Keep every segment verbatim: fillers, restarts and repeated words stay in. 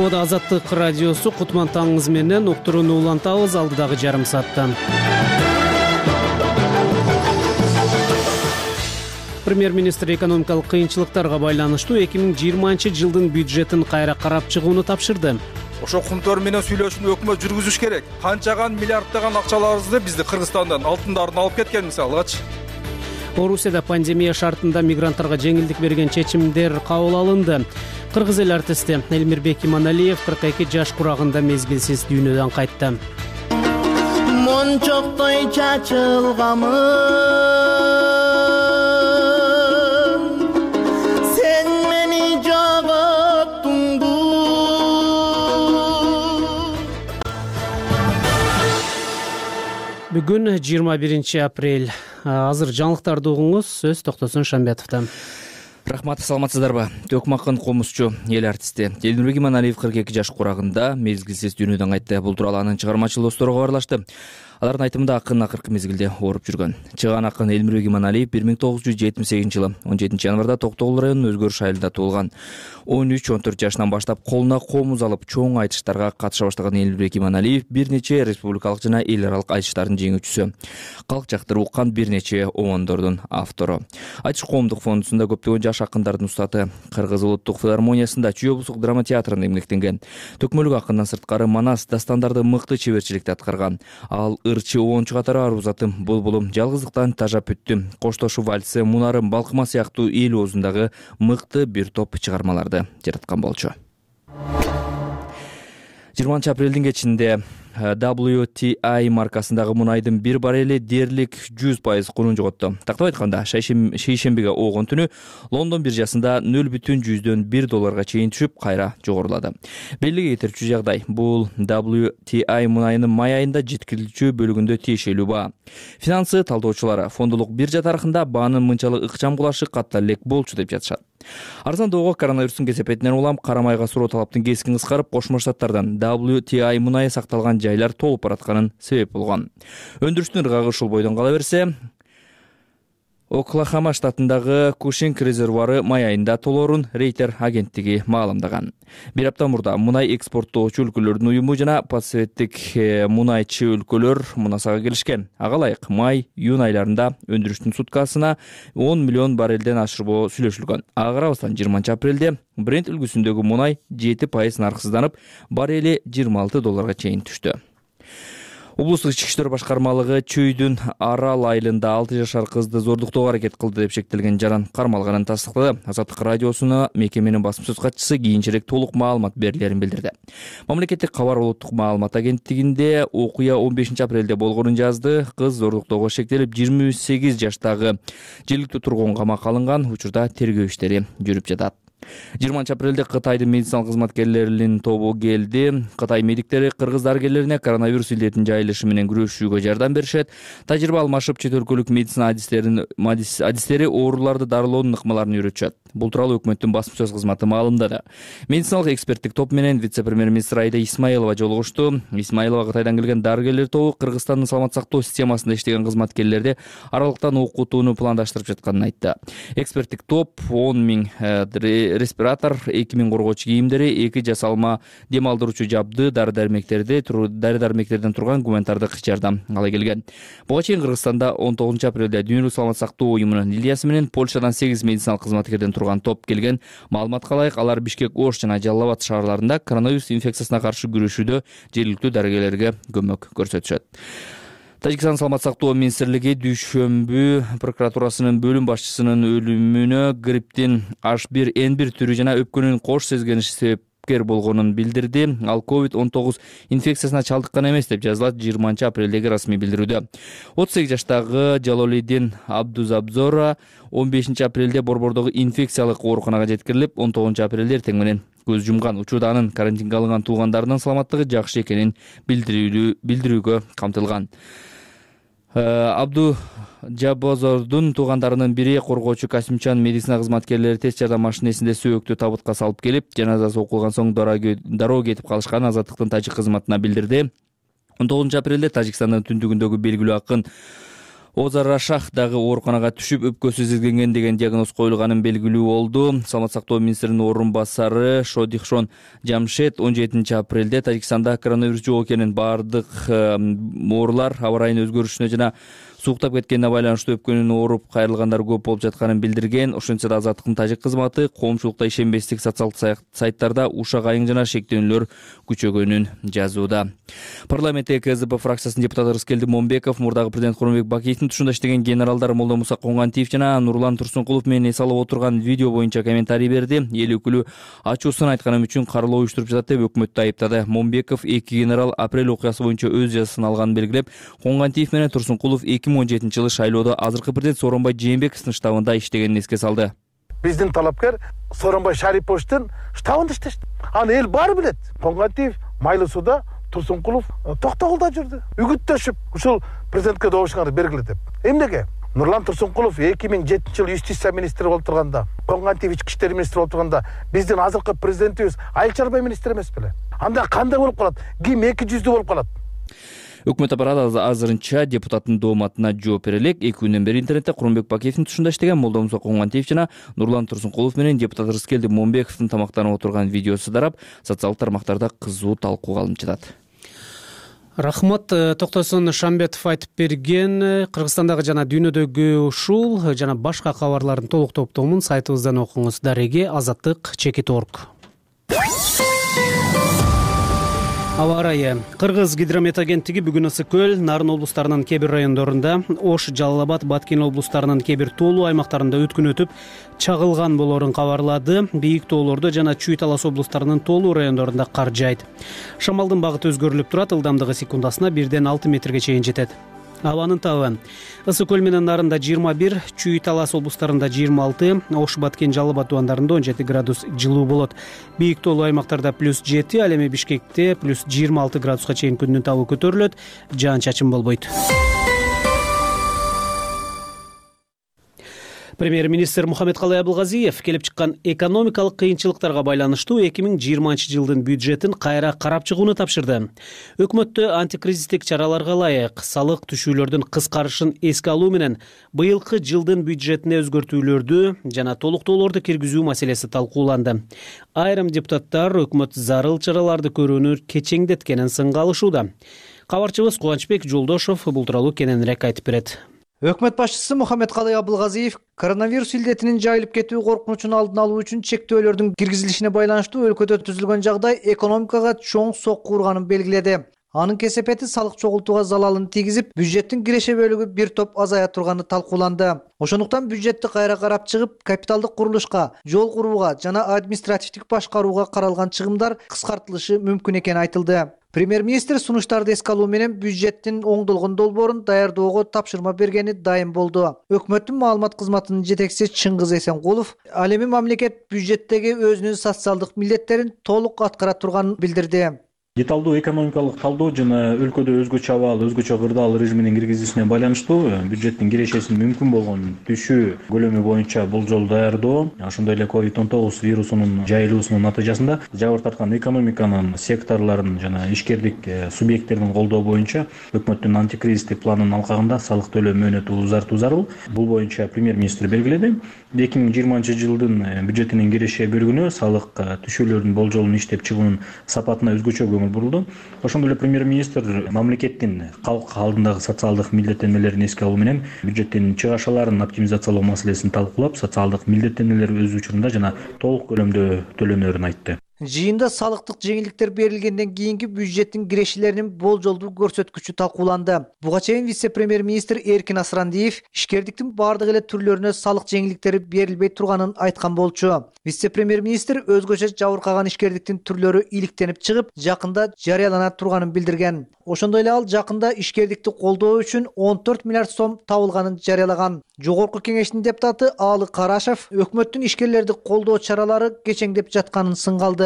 Мода Азаттык радиосу кутман таңыңыз менен уктурууну улантабыз алдыдагы жарым саатта. Премьер-министр экономикалык кыйынчылыктарга байланыштуу эки миң жыйырманчы жылдын бюджетин кайра карап чыгууну тапшырды. Ошо кумтөр менен сүйлөшүүнү өкмөт жүргүзүш керек. Канчаган миллиарддаган акчаларыбызды бизди Кыргызстандан алтындарын алып кеткен мисалгачы. Орусияда пандемия шартында мигранттарга жеңилдик берген чечимдер кабыл алынды. Кыргыз эл артисти Элмирбек Иманалиев кырк эки жаш курагында мезгилсиз дүйнөдөн кайтты. Мончоктой чачылгамын сен мени жоготтуңду. Бүгүн жыйырма биринчи апрель. Азыр жаңылыктарды угуңуз, сөз Токтосун Шамбетовдон. Рахмат, саламатсыздарбы? Төкмакын комузчу, эл артисти Элмирбек Иманалиев кырк эки жаш курагында мезгилсиз дүйнөдөн кайтты. Бул тууралуу анын чыгармачыл достору кабарлашты. Алардын айтымында акын акыркы мезгилде ооруп жүргөн. Чыган акын Элмирбек Иманалиев бир миң тогуз жүз жетимиш сегизинчи жылы он жетинчи январда Токтогул районунун Өзгөрүш айылында туулган. он үч он төрт жашынан баштап колуна комуз алып чоң айтыштарга катыша баштаган Элмирбек Иманалиев бир нече республикалык жана эл аралык айтыштардын жеңүүчүсү. Калк жактырып уккан бир нече обондордун автору. Айтыш коомдук фондусунда көптөгөн жаш акындардын устаты. Кыргыз улуттук филармониясында Чүй облустук драма театрында эмгектенген. Төкмөлүк акындан сырткары манас дастандарды мыкты чеберчиликте аткарган. Ал ырчы оончу катары арузатым, булбулум, жалгыздыктан тажап бүттүм, коштошу вальсы, мунарым, балкыма сыяктуу эл оозундагы мыкты бир топ чыгармаларды жараткан болчу. жыйырманчы апрелдин кечинде дабл ю ти ай маркасындагы мунайдын бир баррели дээрлик жүз пайыз кунун жоготту. Тактап айтканда, шейшембиге оогон түнү Лондон биржасында нөл бүтүн жүздөн бир долларга чейин түшүп, кайра жогорулады. Белгиге кетирчү жагдай, бул дабл ю ти ай мунайынын май айында жеткирилүүчү бөлүгүндө тиешелүү баа. Финансы талдоочулары фондулук биржа тарыхында баанын мынчалык ыкчам кулашы катта элек болчу деп жатышат. Арзандоого коронавирустун кесепетинен улам кара майга суроо талаптын кескин кыскарып, Кошмо Штаттардан дабл ю ти ай мунайы сакталган жайлар толуп баратканын себеп болгон. Өндүрүштүн ыргагы ушул бойдон кала берсе, Оклахома штатындагы Кушинг резервуары май айында толоорун Рейтер агенттиги маалымдаган. Бир апта мурда мунай экспорттоочу өлкөлөрдүн уюму жана пацификтик мунайчы өлкөлөр мунасага келишкен. Ага ылайык май-июнь айларында өндүрүштүн суткасына он миллион баррелден ашырбоо сүйлөшүлгөн. Ага карабастан жыйырманчы апрелде Брент үлгүсүндөгү мунай жети пайыз нарксызданып, баррели жыйырма алты долларга чейин түштү. Облустук ички иштер башкармалыгы Чүйдүн Арал айылында алты жашар кызды зордуктоого аракет кылды деп шектелген жаран кармалганын тастыктады. Азаттык радиосуна мекеменин басым сөз катчысы кийинчерээк толук маалымат берилерин билдирди. Мамлекеттик кабар улуттук маалымат агенттигинде окуя он бешинчи апрелде болгонун жазды. Кыз зордуктоого шектелип, жыйырма сегиз жаштагы жергиликтүү тургун камакка алынган. Учурда тергөө иштери жүрүп жатат. жыйырманчы апрелде Кытайдын медициналык кызматкерлеринин тобу келди. Кытай медиктери кыргыз дарыгерлерине коронавирус илдетинин жайылышы менен күрөшүүгө жардам беришет. Тажрыйба алмашып, чет өлкөлүк медицина адистерин адистери ооруларды дарылоонун ыкмаларын үйрөтүшөт. Бул тууралуу өкмөттүн басым сөз кызматы маалымдады. Медициналык эксперттик топ менен вице-премьер-министр Айда Исмаилова жолугушту. Исмаилова Кытайдан келген дарыгерлер тобу Кыргызстандын саламат сактоо системасында иштеген кызматкерлерди аралыктан окутууну пландаштырып жатканын айтты. Эксперттик топ он миң респиратор, эки миң коргоочу кийимдери, эки жасалма дем алдыруучу жабды, дары-дармектерди, дары-дармектерден турган гуманитардык жардам ала келген. Буга чейин Кыргызстанда он тогузунчу апрелде Дүйнөлүк саламат сактоо уюмунун Ильясы менен Польшадан сегиз медициналык кызматкерден турган топ келген. Маалыматка ылайык, алар Бишкек, Ош жана Жалал Абад шаарларында коронавирус инфекциясына каршы күрөшүүдө жергиликтүү дарыгерлерге көмөк көрсөтүшөт. Тажикстан саламат сактоо министрлиги дүйшөмбү прокуратурасынын бөлүм башчысынын өлүмүнө грипптин эйч бир эн бир түрү жана өпкөнүн кош сезгениши себепкер болгонун билдирди. Ал ковид он тогуз инфекциясына чалдыккан эмес деп жазылат жыйырманчы апрелдеги расмий билдирүүдө. отуз сегиз жаштагы Жалолидин Абдузабзора он бешинчи апрелде Борбордогу инфекциялык ооруканага жеткирилип, он тогузунчу апрелде эртең менен көз жумган. Учурда анын карантинге алынган туугандарынын саламаттыгы жакшы экенин билдирүүгө камтылган. Абду Жабозордун туугандарынын бири коргоочу Касимчан медицина кызматкерлери тест жардам машинесинде сөөктү табытка салып келип, жаназасы окулган соң дароо кетип калышканын Азаттыктын тажик кызматына билдирди. он тогузунчу апрелде Тажикстандын түндүгүндөгү белгилүү акын Озар Рашах дагы ооруканага түшүп, өпкөсү изилгенген деген диагноз коюлганын белгилүү болду. Саламат сактоо министринин орун басары Шодихшон Жамшед он жетинчи апрелде Тажикстанда коронавирус жок экенин, баардык оорулар аба ырайынын өзгөрүшүнө жана сууктап кеткенине байланыштуу өпкөнүн ооруп кайрылгандар көп болуп жатканын билдирген. Ошентсе да Азаттыктын тажик кызматы коомчулукта ишенбестик социалдык сайттарда ушак айың жана шектөөнүлөр күчөгөнүн жазууда. Парламентте КЗП фракциясынын депутаты Рыскелди Момбеков мурдагы президент Кооронбек Бакиевдин тушунда иштеген генералдар Молдомуса Коңгантиев жана Нурлан Турсункулов менен эс алып отурган видео боюнча комментарий берди. Эл өкүлү ачуусун айтканым үчүн каралоо уюштуруп жатат деп өкмөттү айыптады. Момбеков эки генерал апрель окуясы боюнча өз жазасын алганын белгилеп, Коңгантиев менен Турсункулов эки миң он жетинчи жылы шайлоодо азыркы президент Сооронбай Жээнбековдун штабында иштегенин эске салды. Биздин талапкер Сооронбай Шариповичтин штабында иштешти. Аны эл баары билет. Коңгантиев Майлы сууда, Турсункулов Токтогулда жүрдү. Үгүттөшүп, ушул президентке добушканды бергиле деп. Эмнеге? Нурлан Турсункулов эки миң жетинчи жылы юстиция министри болуп турганда, Коңгантиев ички иштер министри болуп турганда, биздин азыркы президентибиз айыл чарба министри эмес беле? Анда кандай болуп калат? Ким эки жүздүү болуп калат? Өкмөт аппараты азырынча депутаттын дооматына жооп бере элек. Эки күндөн бери интернетте Кооронбек Бакиевдин тушунда иштеген Молдомуса Коңгантиев жана Нурлан Турсункулов менен депутат Рыскелди Момбековдун тамактанып отурган видеосу тарап, социалдык тармактарда кызуу талкууга алынып жатат. Рахмат. Токтосун Шамбетов айтып берген Кыргызстандагы жана дүйнөдөгү ушул жана башка кабарлардын толук топтомун сайтыбыздан окуңуз. Дареге азаттык чекит точка орг. Аба ырайы. Кыргыз гидромет агенттиги бүгүн Ысык көл, Нарын облустарынын кээ бир райондорунда, Ош, Жалал Абад, Баткен облустарынын кээ бир тоолуу аймактарында өткүн өтүп, чагылган болорун кабарлады. Бийик тоолордо жана Чүй Талас облустарынын тоолуу райондорунда кар жаайт. Шамалдын багыты өзгөрүлүп турат, ылдамдыгы секундасына бирден алты метрге чейин жетет. Абанын табы. Ысык көл менен Нарында жыйырма бир, Чүй Талас облустарында жыйырма алты, Ош, Баткен, Жалал Абад тубандарында он жети градус жылуу болот. Бийик тоолуу аймактарда плюс жети, ал эми Бишкекте плюс жыйырма алты градуска чейин күндүн табы көтөрүлөт, жаан-чачын болбойт. Премьер-министр Мухаммедкалый Абылгазиев келип чыккан экономикалык кыйынчылыктарга байланыштуу эки миң жыйырманчы жылдын бюджетин кайра карап чыгууну тапшырды. Өкмөттө антикризистик чараларга ылайык салык түшүүлөрдүн кыскарышын эске алуу менен быйылкы жылдын бюджетине өзгөртүүлөрдү жана толуктоолорду киргизүү маселеси талкууланды. Айрым депутаттар өкмөт зарыл чараларды көрүүнү кечеңдеткенин сынга алышууда. Кабарчыбыз Кубанычбек Жолдошов бул тууралуу кененирээк айтып берет. Өкмөт башчысы Мухаммедкалый Абылгазиев коронавирус илдетинин жайылып кетүү коркунучун алдын алуу үчүн чектөөлөрдүн киргизилишине байланыштуу өлкөдө түзүлгөн жагдай экономикага чоң сокку урганын белгиледи. Анын кесепети салык чогултууга залалын тийгизип, бюджеттин киреше бөлүгү бир топ азая турганы талкууланды. Ошондуктан бюджетти кайра карап чыгып, капиталдык курулушка, жол курууга жана административдик башкарууга каралган чыгымдар кыскартылышы мүмкүн экени айтылды. Премьер-министр сунуштарды эске алуу менен бюджеттин оңдолгон долбоорун даярдоого тапшырма бергени дайым болду. Өкмөттүн маалымат кызматынын жетекчиси Чыңгыз Эсенкулов ал эми мамлекет бюджеттеги өзүнүн социалдык милдеттерин толук аткара турганын билдирди. Деталдуу экономикалык талдоо жана өлкөдө өзгөчө абал, өзгөчө кырдаал режиминин киргизилишине байланыштуу бюджеттин кирешесин мүмкүн болгон түшүү көлөмү боюнча болжол даярдоо, ошондой эле ковид он тогуз вирусунун жайылуусунун натыйжасында жабыр тарткан экономиканын секторлорун жана ишкердик субъекттерин колдоо боюнча өкмөттүн антикризистик планынын алкагында салык төлөө мөөнөтү узартуу зарыл. Бул боюнча премьер-министр белгиледи. эки миң жыйырманчы жылдын бюджетинин киреше бөлүгүнө салык түшүүлөрүнүн болжолун иштеп чыгуунун сапатына өзгөчө көңүл бурулду. Ошондой эле премьер-министр мамлекеттин калк алдындагы социалдык милдеттенмелерин эске алуу менен бюджеттин чыгашаларын оптимизациялоо маселесин талкуулап, социалдык милдеттенмелер өз учурунда жана толук көлөмдө төлөнөрүн айтты. Жыйында салыктык жеңилдиктер берилгенден кийинки бюджеттин кирешелеринин болжолдуу көрсөткүчү талкууланды. Буга чейин вице-премьер-министр Эркин Асрандиев ишкердиктин бардык эле түрлөрүнө салык жеңилдиктери берилбей турганын айткан болчу. Вице-премьер-министр өзгөчө жабыркаган ишкердиктин түрлөрү иликтенип чыгып, жакында жарыялана турганын билдирген. Ошондой эле ал жакында ишкердикти колдоо үчүн он төрт миллиард сом табылганын жарыялаган. Жогорку кеңештин депутаты Аалы Карашев өкмөттүн ишкерлерди колдоо чаралары кечеңдеп жатканын сынга алды.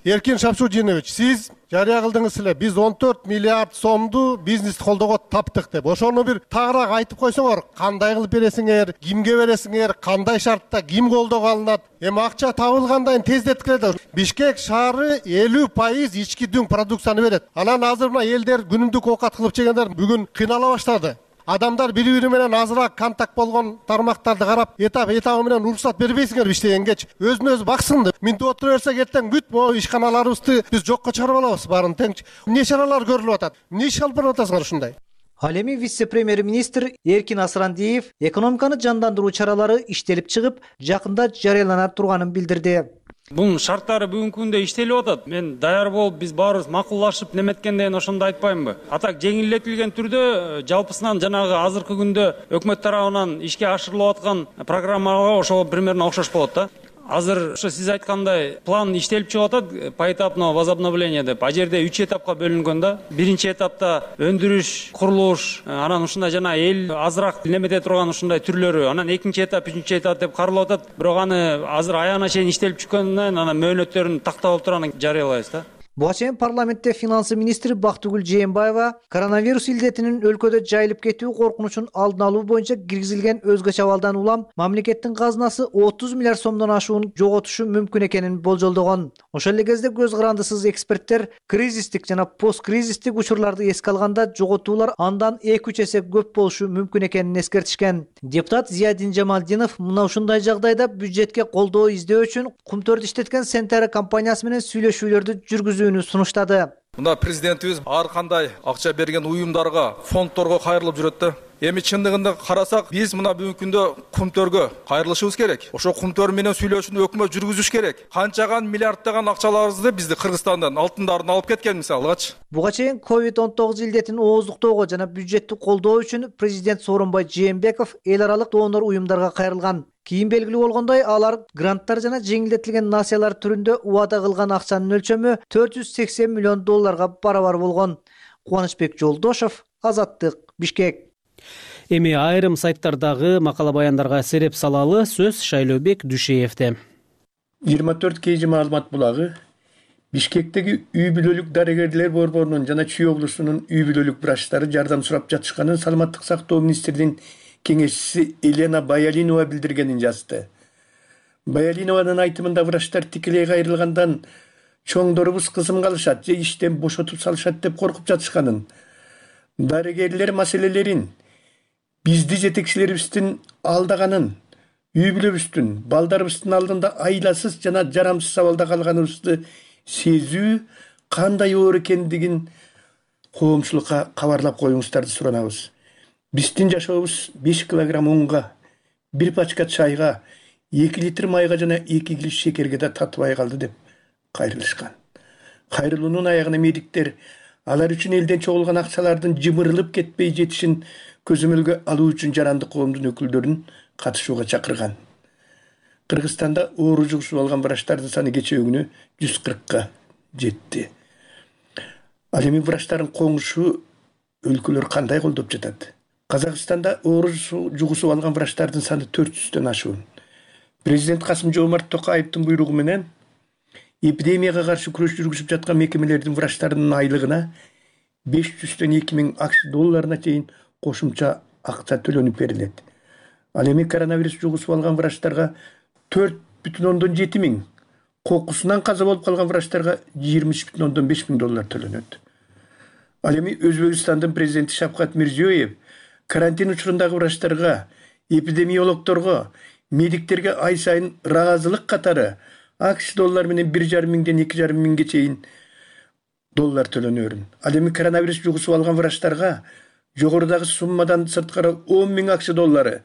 Эркин Шапшудинович, сиз жарыя кылдыңыз эле, биз он төрт миллиард сомду бизнес колдоого таптык деп. Ошону бир тагыраак айтып койсоңор, кандай кылып бересиңер, кимге бересиңер, кандай шартта, ким колдоого алынат? Эми акча табылгандан тездеткиле. Бишкек шаары элүү пайыз ички дүң продукцияны берет. Анан азыр мына элдер күнүмдүк оокат кылып жегендер бүгүн кыйнала баштады. Адамдар бири бири менен азыраак контакт болгон тармактарды карап, этап этабы менен уруксат бербейсиңерби иштегенге? Өзүн өзү баксын. Минтип отура берсек эртең бүт могу ишканаларыбызды биз жокко чыгарып алабыз баарын тең. Эмне чаралар көрүлүп атат? Эмне иш алып барып атасыңар ушундай? Ал эми вице-премьер-министр Эркин Асырандиев экономиканы жандандыруу чаралары иштелип чыгып, жакында жарыялана турганын билдирди. Бунун шарттары бүгүнкү күндө иштелип атат. Мен даяр болуп, биз баарыбыз макулдашып неметкенден ошондо айтпаймынбы? Атак жеңилдетилген түрдө жалпысынан жанагы азыркы күндө өкмөт тарабынан ишке ашырылып аткан программага ошого примерно окшош болот да. Азыр ошо сиз айткандай план иштелип чыгып атат, поэтапное возобновление деп. А жерде үч этапка бөлүнгөн да. Биринчи этапта өндүрүш, курулуш, анан ушундай жана эл азыраак немете турган ушундай түрлөрү, анан экинчи этап, үчүнчү этап деп каралып атат. Бирок аны азыр аягына чейин иштелип чыккандан анан мөөнөттөрүн тактап алып туруп анан жарыялайбыз да. Буга чейин парламентте финансы министри Бактыгүл Жээнбаева коронавирус илдетинин өлкөдө жайылып кетүү коркунучун алдын алуу боюнча киргизилген өзгөчө абалдан улам мамлекеттин казынасы отуз миллиард сомдон ашуун жоготушу мүмкүн экенин болжолдогон. Ошол эле кезде көз карандысыз эксперттер кризистик жана посткризистик учурларды эске алганда жоготуулар андан эки үч эсе көп болушу мүмкүн экенин эскертишкен. Депутат Зиядин Жамалдинов мына ушундай жагдайда бюджетке колдоо издөө үчүн кумтөрдү иштеткен Сентера компаниясы менен сүйлөшүүлөрдү жүргүзүү сунуштады. Мына президентибиз ар кандай акча берген уюмдарга, фонддорго кайрылып жүрөт да. Эми чындыгында карасак, биз мына бүгүнкү күндө кумтөргө кайрылышыбыз керек. Ошо кумтөр менен сүйлөшүүнү өкмөт жүргүзүш керек. Канчаган миллиарддаган акчаларыбызды бизди Кыргызстандан алтындарын алып кеткен мисалгачы. Буга чейин ковид он тогуз илдетин ооздуктоого жана бюджетти колдоо үчүн президент Сооронбай Жээнбеков эл аралык донор уюмдарга кайрылган. Кийин белгилүү болгондой, алар гранттар жана жеңилдетилген насыялар түрүндө убада кылган акчанын өлчөмү төрт жүз сексен миллион долларга барабар болгон. Кубанычбек Жолдошов, Азаттык, Бишкек. Эми айрым сайттардагы макала баяндарга сереп салалы сөз Шайлообек Дүшеевде. жыйырма төрт кей жи маалымат булагы Бишкектеги үй бүлөлүк дарыгерлер борборунун жана Чүй облусунун үй бүлөлүк врачтары жардам сурап жатышканын саламаттык сактоо министринин кеңешчиси Елена Баялинова билдиргенин жазды. Баялинованын айтымында врачтар тикелей кайрылгандан чоңдорубуз кызымга алышат же иштен бошотуп салышат деп коркуп жатышканын, дарыгерлер маселелерин бизди жетекчилерибиздин алдаганын, үй бүлөбүздүн, балдарыбыздын алдында айласыз жана жарамсыз абалда калганыбызды сезүү кандай оор экендигин коомчулукка кабарлап коюңуздарды суранабыз. Биздин жашообуз беш килограмм унга, бир пачка чайга, эки литр майга жана эки кило шекерге да татыбай калды деп кайрылышкан. Кайрылуунун аягына медиктер алар үчүн элден чогулган акчалардын жымырылып кетпей жетишин көзөмөлгө алуу үчүн жарандык коомдун өкүлдөрүн катышууга чакырган. Кыргызстанда оору жугушуп алган врачтардын саны кечээ күнү жүз кыркка жетти. Ал эми врачтардын коңушу өлкөлөр кандай колдоп жатат? Казакстанда оору жугусуп алган врачтардын саны төрт жүздөн ашуун. Президент Касым-Жомарт Токаевдин буйругу менен эпидемияга каршы күрөш жүргүзүп жаткан мекемелердин врачтарынын айлыгына беш жүздөн эки миң акш долларына чейин кошумча акча төлөнүп берилет. Ал эми коронавирус жугусуп алган врачтарга төрт бүтүн ондон жети миң, кокусунан каза болуп калган врачтарга жыйырма үч бүтүн ондон беш миң доллар төлөнөт. Ал эми Өзбекстандын президенти Шавкат Мирзиёев карантин учурундагы врачтарга, эпидемиологдорго, медиктерге ай сайын ыраазылык катары акш доллар менен бир жарым миңден эки жарым миңге чейин доллар төлөнөрүн. Ал эми коронавирус жугусуп алган врачтарга жогорудагы суммадан сырткары он миң акш доллары,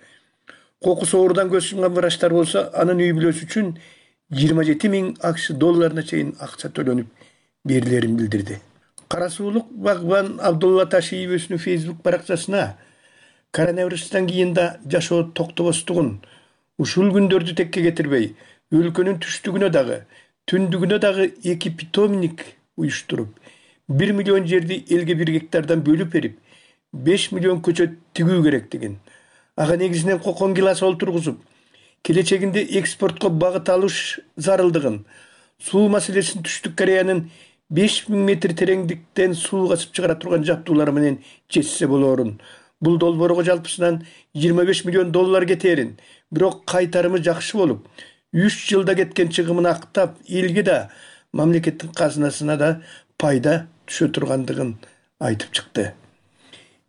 кокус оорудан көз жумган врачтар болсо анын үй бүлөсү үчүн жыйырма жети миң акш долларына чейин акча төлөнүп берилерин билдирди. Кара суулук багбан Абдулла Ташиев өзүнүн Facebook баракчасына коронавирустан кийин да жашоо токтобостугун, ушул күндөрдү текке кетирбей, өлкөнүн түштүгүнө дагы, түндүгүнө дагы эки питомник уюштуруп, бир миллион жерди элге бир гектардан бөлүп берип, беш миллион көчөт тигүү керектигин, ага негизинен кокон гилас олтургузуп, келечегинде экспортко багыт алыш зарылдыгын, суу маселесин Түштүк Кореянын беш миң метр тереңдиктен суу качып чыгара турган жабдуулары менен чечсе болоорун. Бул долбоорго жалпысынан жыйырма беш миллион доллар кетерин, бирок кайтарымы жакшы болуп, үч жылда кеткен чыгымын актап, элге да, мамлекеттин казынасына да пайда түшө тургандыгын айтып чыкты.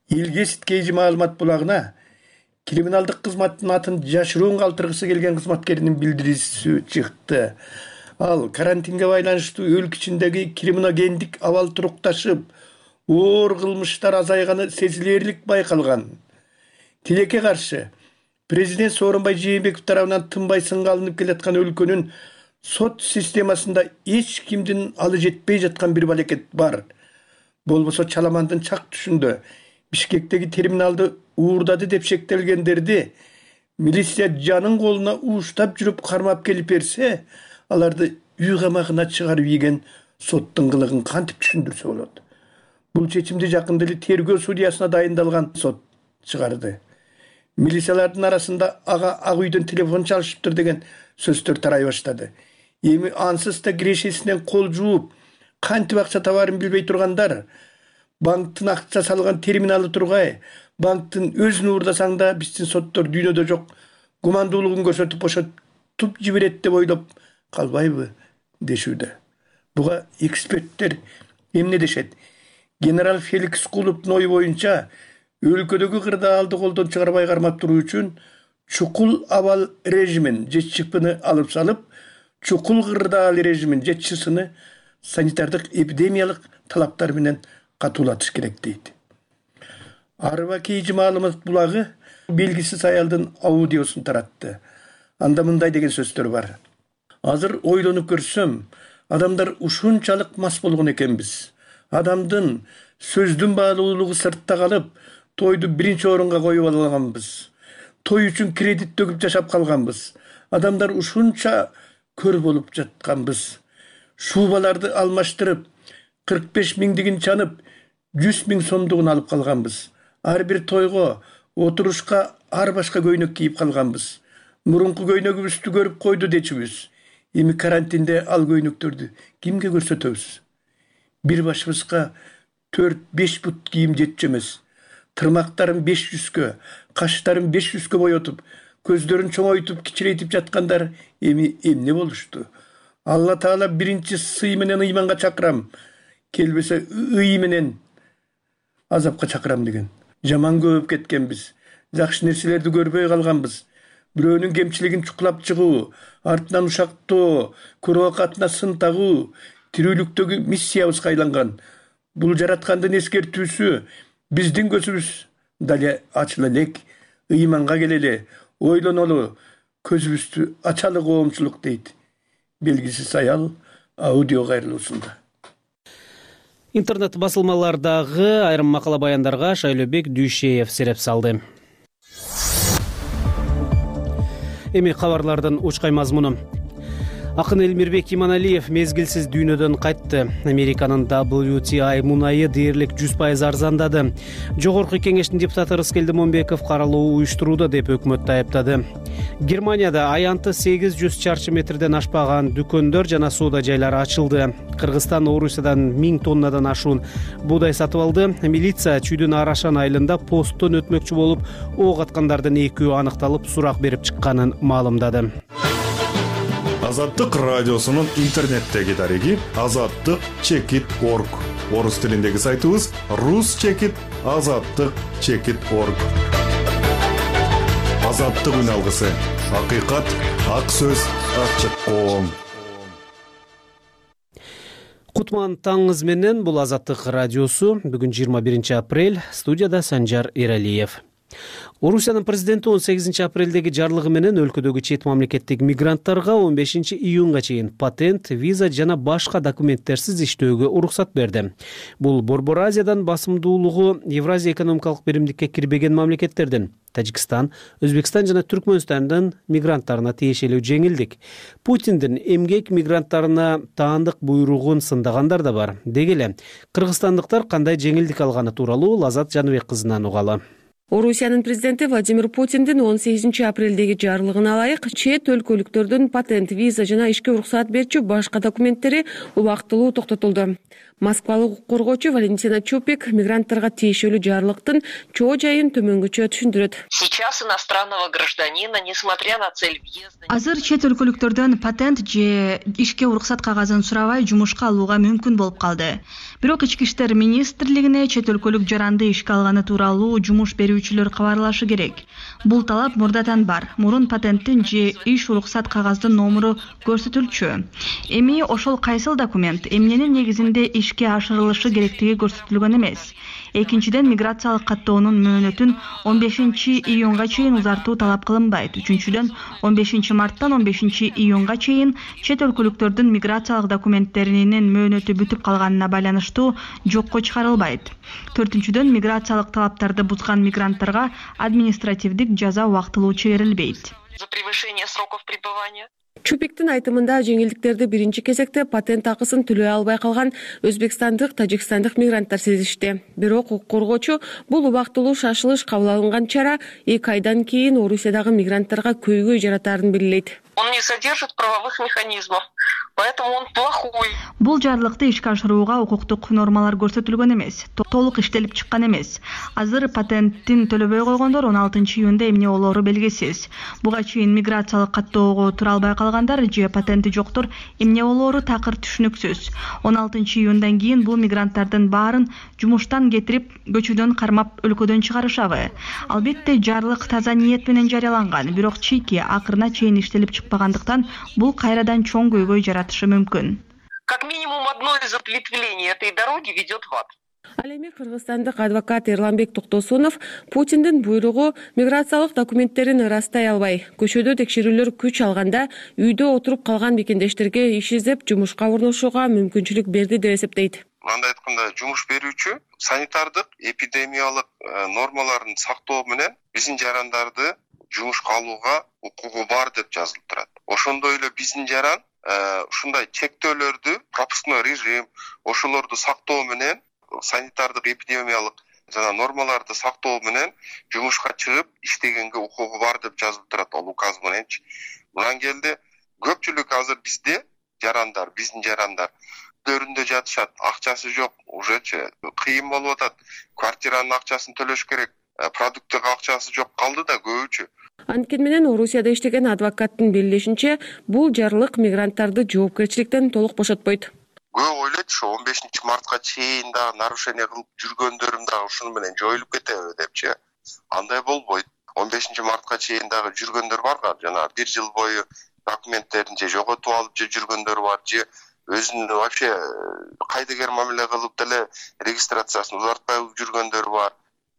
Илгесит Кейжи маалымат булагына криминалдык кызматтын атын жашыруун калтыргысы келген кызматкердин билдирүүсү чыкты. Ал карантинге байланыштуу өлкө ичиндеги криминогендик абал турукташып, оор кылмыштар азайганы сезилерлик байкалган. Тилекке каршы президент Сооронбай Жээнбеков тарабынан тынбай сынга алынып келаткан өлкөнүн сот системасында эч кимдин алы жетпей жаткан бир балекет бар. Болбосо Чаламандын чак түшүндө Бишкектеги терминалды уурдады деп шектелгендерди милиция жанын колуна ууштап жүрүп кармап келип берсе, аларды үй камагына чыгарып ийген соттун кылыгын кантип түшүндүрсө болот? Бул чечимди жакында эле тергөө судьясына дайындалган сот чыгарды. Милициялардын арасында ага ак үйдөн телефон чалышыптыр деген сөздөр тарай баштады. Эми ансыз да кирешесинен кол жууп, кантип акча табарын билбей тургандар, банктын акча салган терминалы тургай, банктын өзүн уурдасаң да биздин соттор дүйнөдө жок, гумандуулугун көрсөтүп бошотуп жиберет деп ойлоп калбайбы дешүүдө. Буга эксперттер эмне дешет? Генерал Феликс Кулуптун ою боюнча, өлкөдөгү кырдаалды колдон чыгарбай кармап туруу үчүн чукул абал режимин же ЧПны алып салып, чукул кырдаал режимин же ЧСны санитардык эпидемиялык талаптар менен катуулатыш керек дейт. Арба Кейжи маалымат булагы белгисиз аялдын аудиосун таратты. Анда мындай деген сөздөр бар. Азыр ойлонуп көрсөм, адамдар ушунчалык мас болгон экенбиз. Адамдын сөздүн баалуулугу сыртта калып, тойду биринчи орунга коюп алганбыз. Той үчүн кредит төгүп жашап калганбыз. Адамдар ушунча көр болуп жатканбыз. Шубаларды алмаштырып, кырк беш миңдигин чанып, жүз миң сомдугун алып калганбыз. Ар бир тойго, отурушка ар башка көйнөк кийип калганбыз. Мурунку көйнөгүбүздү көрүп койду дечүбүз. Эми карантинде ал көйнөктөрдү кимге көрсөтөбүз? Бир башыбызга төрт беш бут кийим жетчү эмес. Тырмактарын беш жүзгө, каштарын беш жүзгө боетуп, көздөрүн чоңойтуп, кичирейтип жаткандар эми эмне болушту? Алла Таала биринчи сый менен ыйманга чакырам, келбесе ый менен азапка чакырам деген. Жаман көбөп кеткенбиз. Жакшы нерселерди көрбөй калганбыз. Бирөөнүн кемчилигин чукулап чыгуу, артынан ушактоо, күрөкатына сын тагуу тирүүлүктөгү миссиябызга айланган. Бул жараткандын эскертүүсү биздин көзүбүз дале ачыла элек, ыйманга келели, ойлонолу, көзүбүздү ачалы коомчулук дейт. Белгисиз аял аудио кайрылуусунда. Интернет басылмалардагы айрым макала баяндарга Шайлообек Дүйшеев сереп салды. Эми кабарлардын учкай мазмуну. Акын Элмирбек Иманалиев мезгилсиз дүйнөдөн кайтты. Американын дабл ю ти ай мунайы дээрлик жүз пайыз арзандады. Жогорку кеңештин депутаты Рыскелди Момбеков каралуу уюштурууда деп өкмөттү айыптады. Германияда аянты сегиз жүз чарчы метрден ашпаган дүкөндөр жана соода жайлары ачылды. Кыргызстан Орусиядан миң тоннадан ашуун буудай сатып алды. Милиция чүйдүн Арашан айылында посттон өтмөкчү болуп, ок аткандардын экөө аныкталып, сурак берип чыкканын маалымдады. Азаттык радиосунун интернеттеги дареги азаттык чекит точка орг. Орус тилиндеги сайтыбыз рус чекит азаттык чекит точка орг. Азаттык үн алгысы. Акыйкат, ак сөз, ачык коом. Кутман таңыңыз менен, бул Азаттык радиосу. Бүгүн жыйырма биринчи апрель, студияда Санжар Эралиев. Орусиянын президенти он сегизинчи апрелдеги жарлыгы менен өлкөдөгү чет мамлекеттик мигранттарга он бешинчи июнга чейин патент, виза жана башка документтерсиз иштөөгө уруксат берди. Бул Борбор Азиядан басымдуулугу Евразия экономикалык биримдикке кирбеген мамлекеттердин Тажикстан, Өзбекстан жана Түркмөнстандын мигранттарына тиешелүү жеңилдик. Путиндин эмгек мигранттарына таандык буйругун сындагандар да бар. Деги эле кыргызстандыктар кандай жеңилдик алганы тууралуу Лазат Жаныбек кызынан угалы. Орусиянын президенти Владимир Путиндин он сегизинчи апрелдеги жарлыгына ылайык чет өлкөлүктөрдүн патент, виза жана ишке уруксаат берчү башка документтери убактылуу токтотулду. Москвалык укук коргоочу Валентина Чупик мигранттарга тиешелүү жарлыктын чоо жайын төмөнгөчө түшүндүрөт. Сейчас иностранного гражданина, несмотря на цель въезда... Азыр чет өлкөлүктөрдөн патент же ишке уруксат кагазын сурабай жумушка алууга мүмкүн болуп калды. Бирок Ички иштер министрлигине чет өлкөлүк жаранды ишке алганы тууралуу жумуш берүүчүлөр кабарлашы керек. Бул талап мурдатан бар. Мурун патенттин же иш уруксат кагаздын номуру көрсөтүлчү. Эми ошол кайсыл документ эмненин негизинде ишке ашырылышы керектиги көрсөтүлгөн эмес. Экинчиден, миграциялык каттоонун мөөнөтүн он бешинчи июнга чейин узартуу талап кылынбайт. Үчүнчүдөн, он бешинчи марттан он бешинчи июнга чейин чет өлкөлүктөрдүн миграциялык документтеринин мөөнөтү бүтүп калганына байланыштуу жокко чыгарылбайт. Төртүнчүдөн, миграциялык талаптарды бузган мигранттарга административдик жаза убактылуу чегерилбейт. За превышение сроков пребывания. Чупиктин айтымында жеңилдиктерди биринчи кезекте патент акысын төлөй албай калган өзбекстандык, тажикстандык мигранттар сезишти. Бирок укук коргоочу бул убактылуу шашылыш кабыл алынган чара эки айдан кийин Орусиядагы мигранттарга көйгөй жаратаарын белгилейт. Он не содержит правовых механизмов, поэтому он плохой. Бул жарлыкты ишке ашырууга укуктук нормалар көрсөтүлгөн эмес, толук иштелип чыккан эмес. Азыр патенттин төлөбөй койгондор он алтынчы июнда эмне болоору белгисиз. Буга чейин миграциялык каттоого тура албай калгандар же патенти жоктор эмне болоору такыр түшүнүксүз. он алтынчы июндан кийин бул мигранттардын баарын жумуштан кетирип, көчөдөн кармап өлкөдөн чыгарышабы? Албетте жарлык таза ниет менен жарыяланган, бирок чийки акырына чейин иштелип чыкпагандыктан бул кайрадан чоң көйгөй жаратышы мүмкүн. Как минимум одно из ответвлений этой дороги ведет в ад. Ал эми кыргызстандык адвокат Эрланбек Токтосунов Путиндин буйругу миграциялык документтерин ырастай албай, көчөдө текшерүүлөр күч алганда үйдө отуруп калган мекендештерге иш издеп жумушка орношууга мүмкүнчүлүк берди деп эсептейт. Мындай айтканда, жумуш берүүчү санитардык, эпидемиялык нормаларын сактоо менен биздин жарандарды жумушка алууга укугу бар деп жазылып турат. Ошондой эле биздин жаран ушундай чектөөлөрдү, пропускной режим, ошолорду сактоо менен, санитардык, эпидемиялык жана нормаларды сактоо менен жумушка чыгып иштегенге укугу бар деп жазылып турат ал указ мененчи. Мындан келди көпчүлүк азыр бизде жарандар, биздин жарандар үйлөрүндө жатышат, акчасы жок, ужечи кыйын болуп атат. Квартиранын акчасын төлөш керек, продуктка акчасы жок калды да көбүчү. Анткени менен Орусияда иштеген адвокаттын белгилешинче, бул жарлык мигранттарды жоопкерчиликтен толук бошотпойт. Көп ойлойт, ошо он бешинчи мартка чейин дагы нарушение кылып жүргөндөрүм дагы ушуну менен жоюлуп кетеби депчи. Андай болбойт. он бешинчи мартка чейин дагы жүргөндөр барга, жана бир жыл бою документтерин же жоготуп алып же жүргөндөр бар, же өзүнүн вообще кайдыгер мамиле кылып деле регистрациясын узартпай жүргөндөр бар.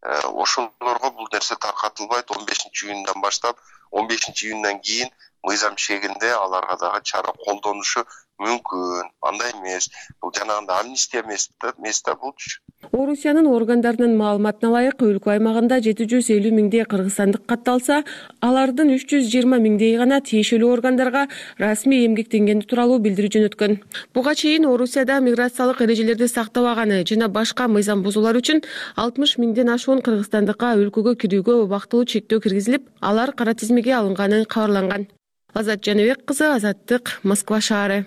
Ошолорго бул нерсе таркатылбайт. он бешинчи июндан баштап он бешинчи июндан кийин мыйзам чегинде аларга дагы чара колдонушу мүмкүн. Андай эмес. Бул жанагындай амнистия эмес да булчу. Орусиянын органдарынын маалыматына ылайык, өлкө аймагында жети жүз элүү миңдей кыргызстандык катталса, алардын үч жүз жыйырма миңдей гана тиешелүү органдарга расмий эмгектенгени тууралуу билдирүү жөнөткөн. Буга чейин Орусияда миграциялык эрежелерди сактабаганы жана башка мыйзам бузуулар үчүн алтымыш миңден ашуун кыргызстандыкка өлкөгө кирүүгө убактылуу чектөө киргизилип, алар кара тизмеге алынганы кабарланган. Азат Жаныбек кызы, Азаттык, Москва шаары.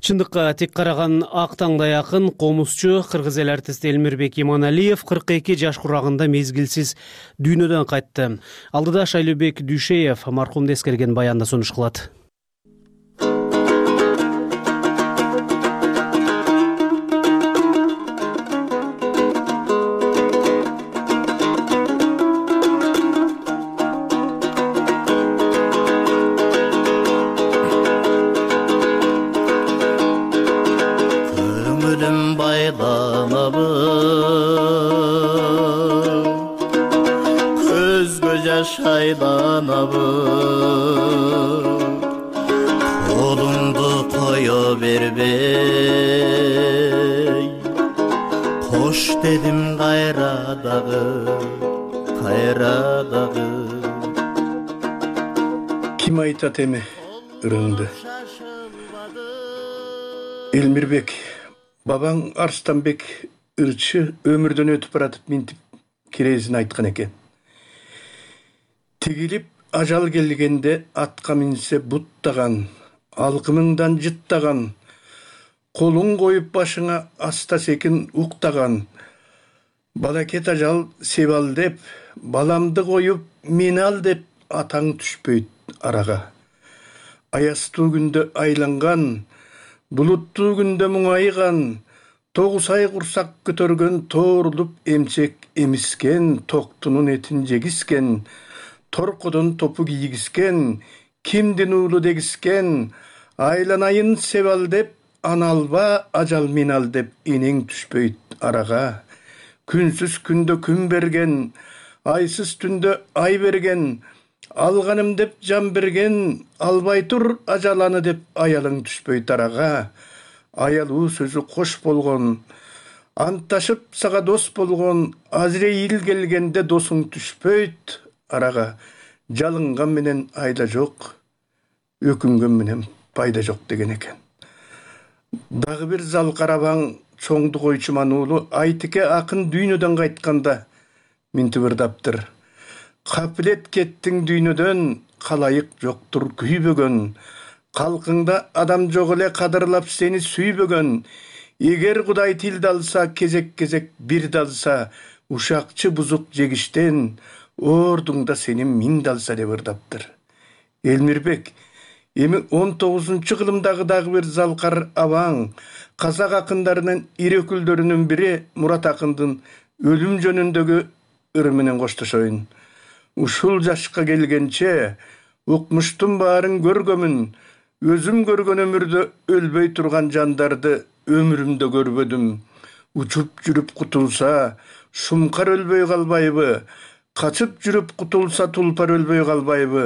Чындыкка тек караган ак таңдай акын комузчу кыргыз эл артисти Элмирбек Иманалиев кырк эки жаш курагында мезгилсиз дүйнөдөн кайтты. Алдыда Шайлообек Дүйшеев маркумду эскерген баянда сунуш кылат. Şaylanabı kolumdu koyo berbey Hoş dedim kayra dağı kayra dağı Kim aytat emi ırığındı Elmirbek babaң Arstanbek ырчы өмүрдөн өтүп баратып минтип керезин айткан экен. Тигилип ажал келгенде атка минсе буттаган, алкымыңдан жыттаган, колуң коюп башыңа аста секин уктаган. Балакет ажал себал деп, баламды коюп мени ал деп атаң түшпөйт арага. Аястуу күндө айланган, булуттуу күндө муңайган, тогуз ай курсак көтөргөн, тоорулуп эмчек эмискен, токтунун этин жегискен, торкодон топу кийгискен, кимдин уулу дегискен, айланайын себал деп, ана алба ажал мен ал деп энең түшпөйт арага. Күнсүз күндө күн берген, айсыз түндө ай берген, алганым деп жан берген, албай тур ажаланы деп аялың түшпөйт арага. Аялуу сөзү кош болгон, антташып сага дос болгон, Азрейил келгенде досуң түшпөйт арага. Жалынган менен айда жок, өкүнгөн менен пайда жок деген экен. Дагы бир зал карабаң чоңду койчуман уулу Айтике акын дүйнөдөн кайтканда минтип ырдаптыр. Капилет кеттиң дүйнөдөн, калайык жоктур күйбөгөн. Калкыңда адам жок эле кадырлап сени сүйбөгөн. Эгер Кудай тилди алса, кезек-кезек бир далса, ушакчы бузук жегиштен, ордуңда сенин миң далса деп ырдаптыр. Элмирбек, эми он тогузунчу кылымдагы дагы бир залкар абаң, казак акындарынын ири өкүлдөрүнүн бири Мурат акындын өлүм жөнүндөгү ыры менен коштошоюн. Ушул жашка келгенче укмуштун баарын көргөмүн, өзүм көргөн өмүрдө өлбөй турган жандарды өмүрүмдө көрбөдүм. Учуп жүрүп кутулса, шумкар өлбөй калбайбы? Качып жүрүп кутулса, тулпар өлбөй калбайбы?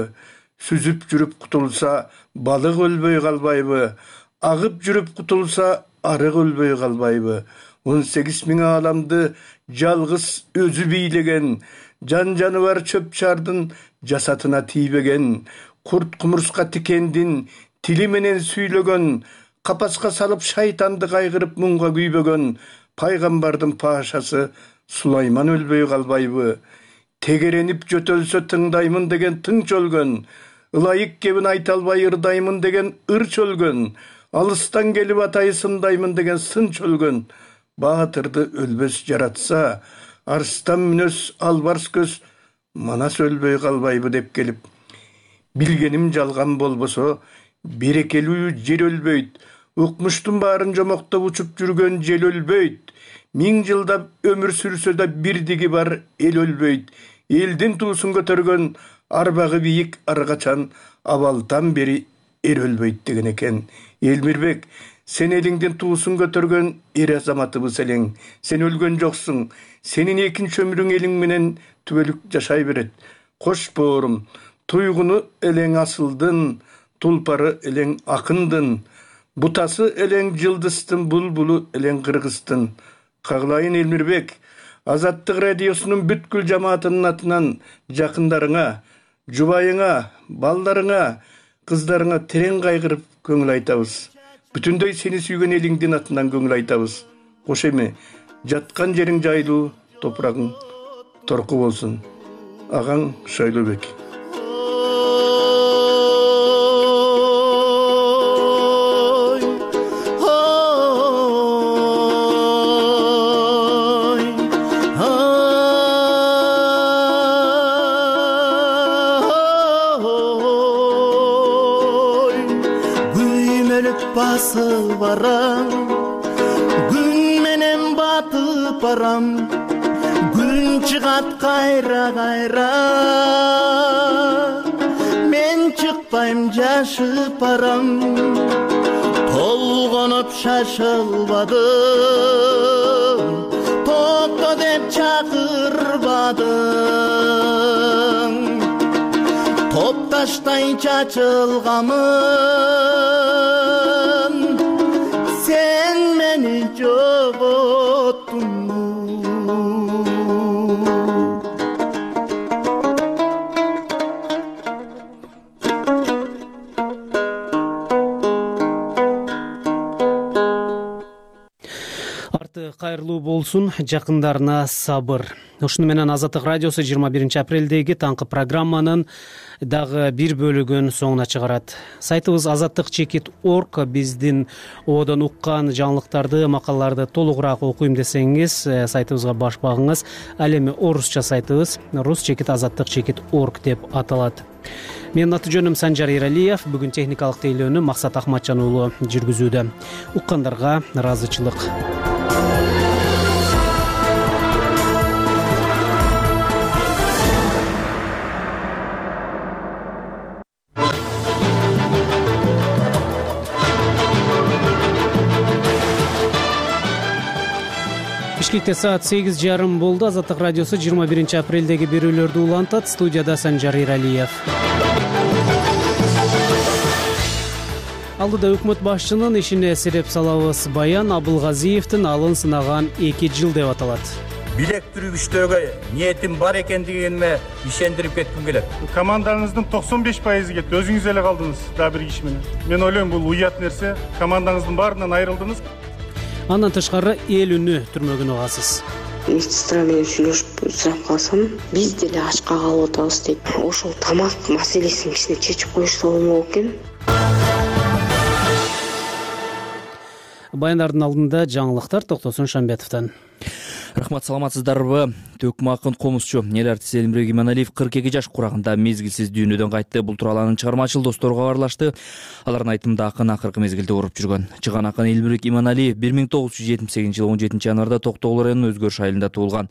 Сүзүп жүрүп кутулса, балык өлбөй калбайбы? Агып жүрүп кутулса, арык өлбөй калбайбы? он сегиз миң ааламды жалгыз өзү бийлеген, жан жаныбар чөп чардын жасатына тийбеген, курт кумурска тикендин тили менен сүйлөгөн, капаска салып шайтанды кайгырып муңга күйбөгөн, пайгамбардын пашасы Сулайман өлбөй калбайбы? Тегеренип жөтөлсө тыңдаймын деген тыңч өлгөн, ылайык кебин айта албай ырдаймын деген ырч өлгөн, алыстан келип атайы сындаймын деген сынч өлгөн. Баатырды өлбөс жаратса, арстан мүнөс албарс көз манас өлбөй калбайбы деп келип. Билгеним жалган болбосо, берекелүү жер өлбөйт, укмуштун баарын жомоктоп учуп жүргөн жел өлбөйт. Миң жылдап өмүр сүрсө да бирдиги бар эл өлбөйт. Элдин туусун көтөргөн арбагы бийик аргачан абалдан бери эр өлбөйт деген экен. Элмирбек, сен элиңдин туусун көтөргөн эр азаматыбыз элең. Сен өлгөн жоксуң. Сенин экинчи өмүрүң элиң менен түбөлүк жашай берет. Кош боорум, туйгуну элең асылдын, тулпары элең акындын, бутасы элең жылдыстын, булбулу элең кыргыздын. Каглайын Элмирбек, Азаттык радиосунун бүткүл жамаатынын атынан жакындарыңа, жубайыңа, балдарыңа, кыздарыңа терең кайгырып көңүл айтабыз. Бүтүндөй сени сүйгөн элиңдин атынан көңүл айтабыз. Кош эми, жаткан жериң жайлуу, топурагың торку болсун. Агаң Шайлообек. Басып барам, күн менен батып барам, күн чыгат кайра кайра, мен чыкпайм жашып барам, толгонуп шашылбадым, токто деп чакырбадым, топташтай чачылгамын, sen meni jogottun. Арты кайырлуу болсун, жакындарына сабыр. Ушуну менен Азаттык радиосу жыйырма биринчи апрелдеги таңкы программанын дагы бир бөлүгүн соңуна чыгарат. Сайтыбыз азаттык чекит точка орг. Биздин одон уккан жаңылыктарды, макалаларды толугураак окуйм десеңиз, сайтыбызга баш багыңыз. Ал эми орусча сайтыбыз рус чекит азаттык чекит точка орг деп аталат. Менин аты жөнүм Санжар Эралиев. Бүгүн техникалык тейлөөнү Максат Ахматжан уулу жүргүзүүдө. Уккандарга ыраазычылык. Бишкекте саат сегиз жарым болду. Азаттык радиосу жыйырма биринчи апрелдеги берүүлөрдү улантат. Студияда Санжар Эралиев. Алдыда өкмөт башчынын ишине сереп салабыз. Баян Абылгазиевдин алын сынаган эки жыл деп аталат. Билектирүүчүлөргө ниетим бар экендигине ишендирип кетким келет. Командаңыздын токсон беш пайызы кетти. Өзүңүз эле калдыңыз дагы бир киши менен. Мен ойлойм бул уят нерсе. Командаңыздын баарынан айрылдыңыз. Андан тышкары эл үнү түрмөгүн угасыз. Медсестра менен сүйлөшүп сурап калсам, биз деле ачка калып атабыз дейт. Ошол тамак маселесин кичине чечип коюшса болмок экен. Баяндардын алдында жаңылыктар Токтосун Шамбетовдон. Рахмат, саламатсыздарбы? Төкмө акын комузчу эл артисти Элмирбек Иманалиев кырк эки жаш курагында мезгилсиз дүйнөдөн кайтты. Бул тууралуу анын чыгармачыл достору кабарлашты. Алардын айтымында акын акыркы мезгилде ооруп жүргөн. Чыган акын Элмирбек Иманалиев бир миң тогуз жүз жетимиш сегизинчи жылы он жетинчи январда Токтогул районунун Өзгөрүш айылында туулган.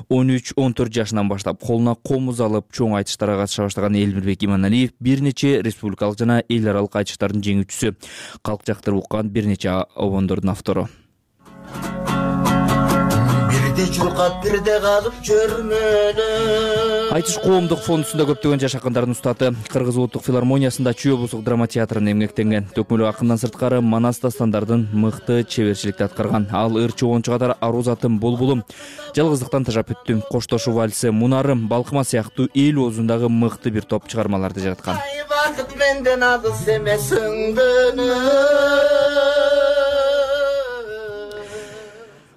он үч он төрт жашынан баштап колуна комуз алып чоң айтыштарга катыша баштаган Элмирбек Иманалиев бир нече республикалык жана эл аралык айтыштардын жеңүүчүсү, калк жактырып уккан бир нече обондордун автору. Айтыш коомдук фондусунда көптөгөн жаш акындардын устаты. Кыргыз улуттук филармониясында Чүй облустук драма театрында эмгектенген. Төкмөлүү акындан сырткары Манас дастандардын мыкты чеберчиликти аткарган. Ал ыр чогончу катары Арузатым Булбулум, Жалгыздыктан тажап бүттүм, Коштошуу вальси, Мунарым, Балкыма сыяктуу эл оозундагы мыкты бир топ чыгармаларды жараткан. Бакыт менден алыс эмес ыңдыны.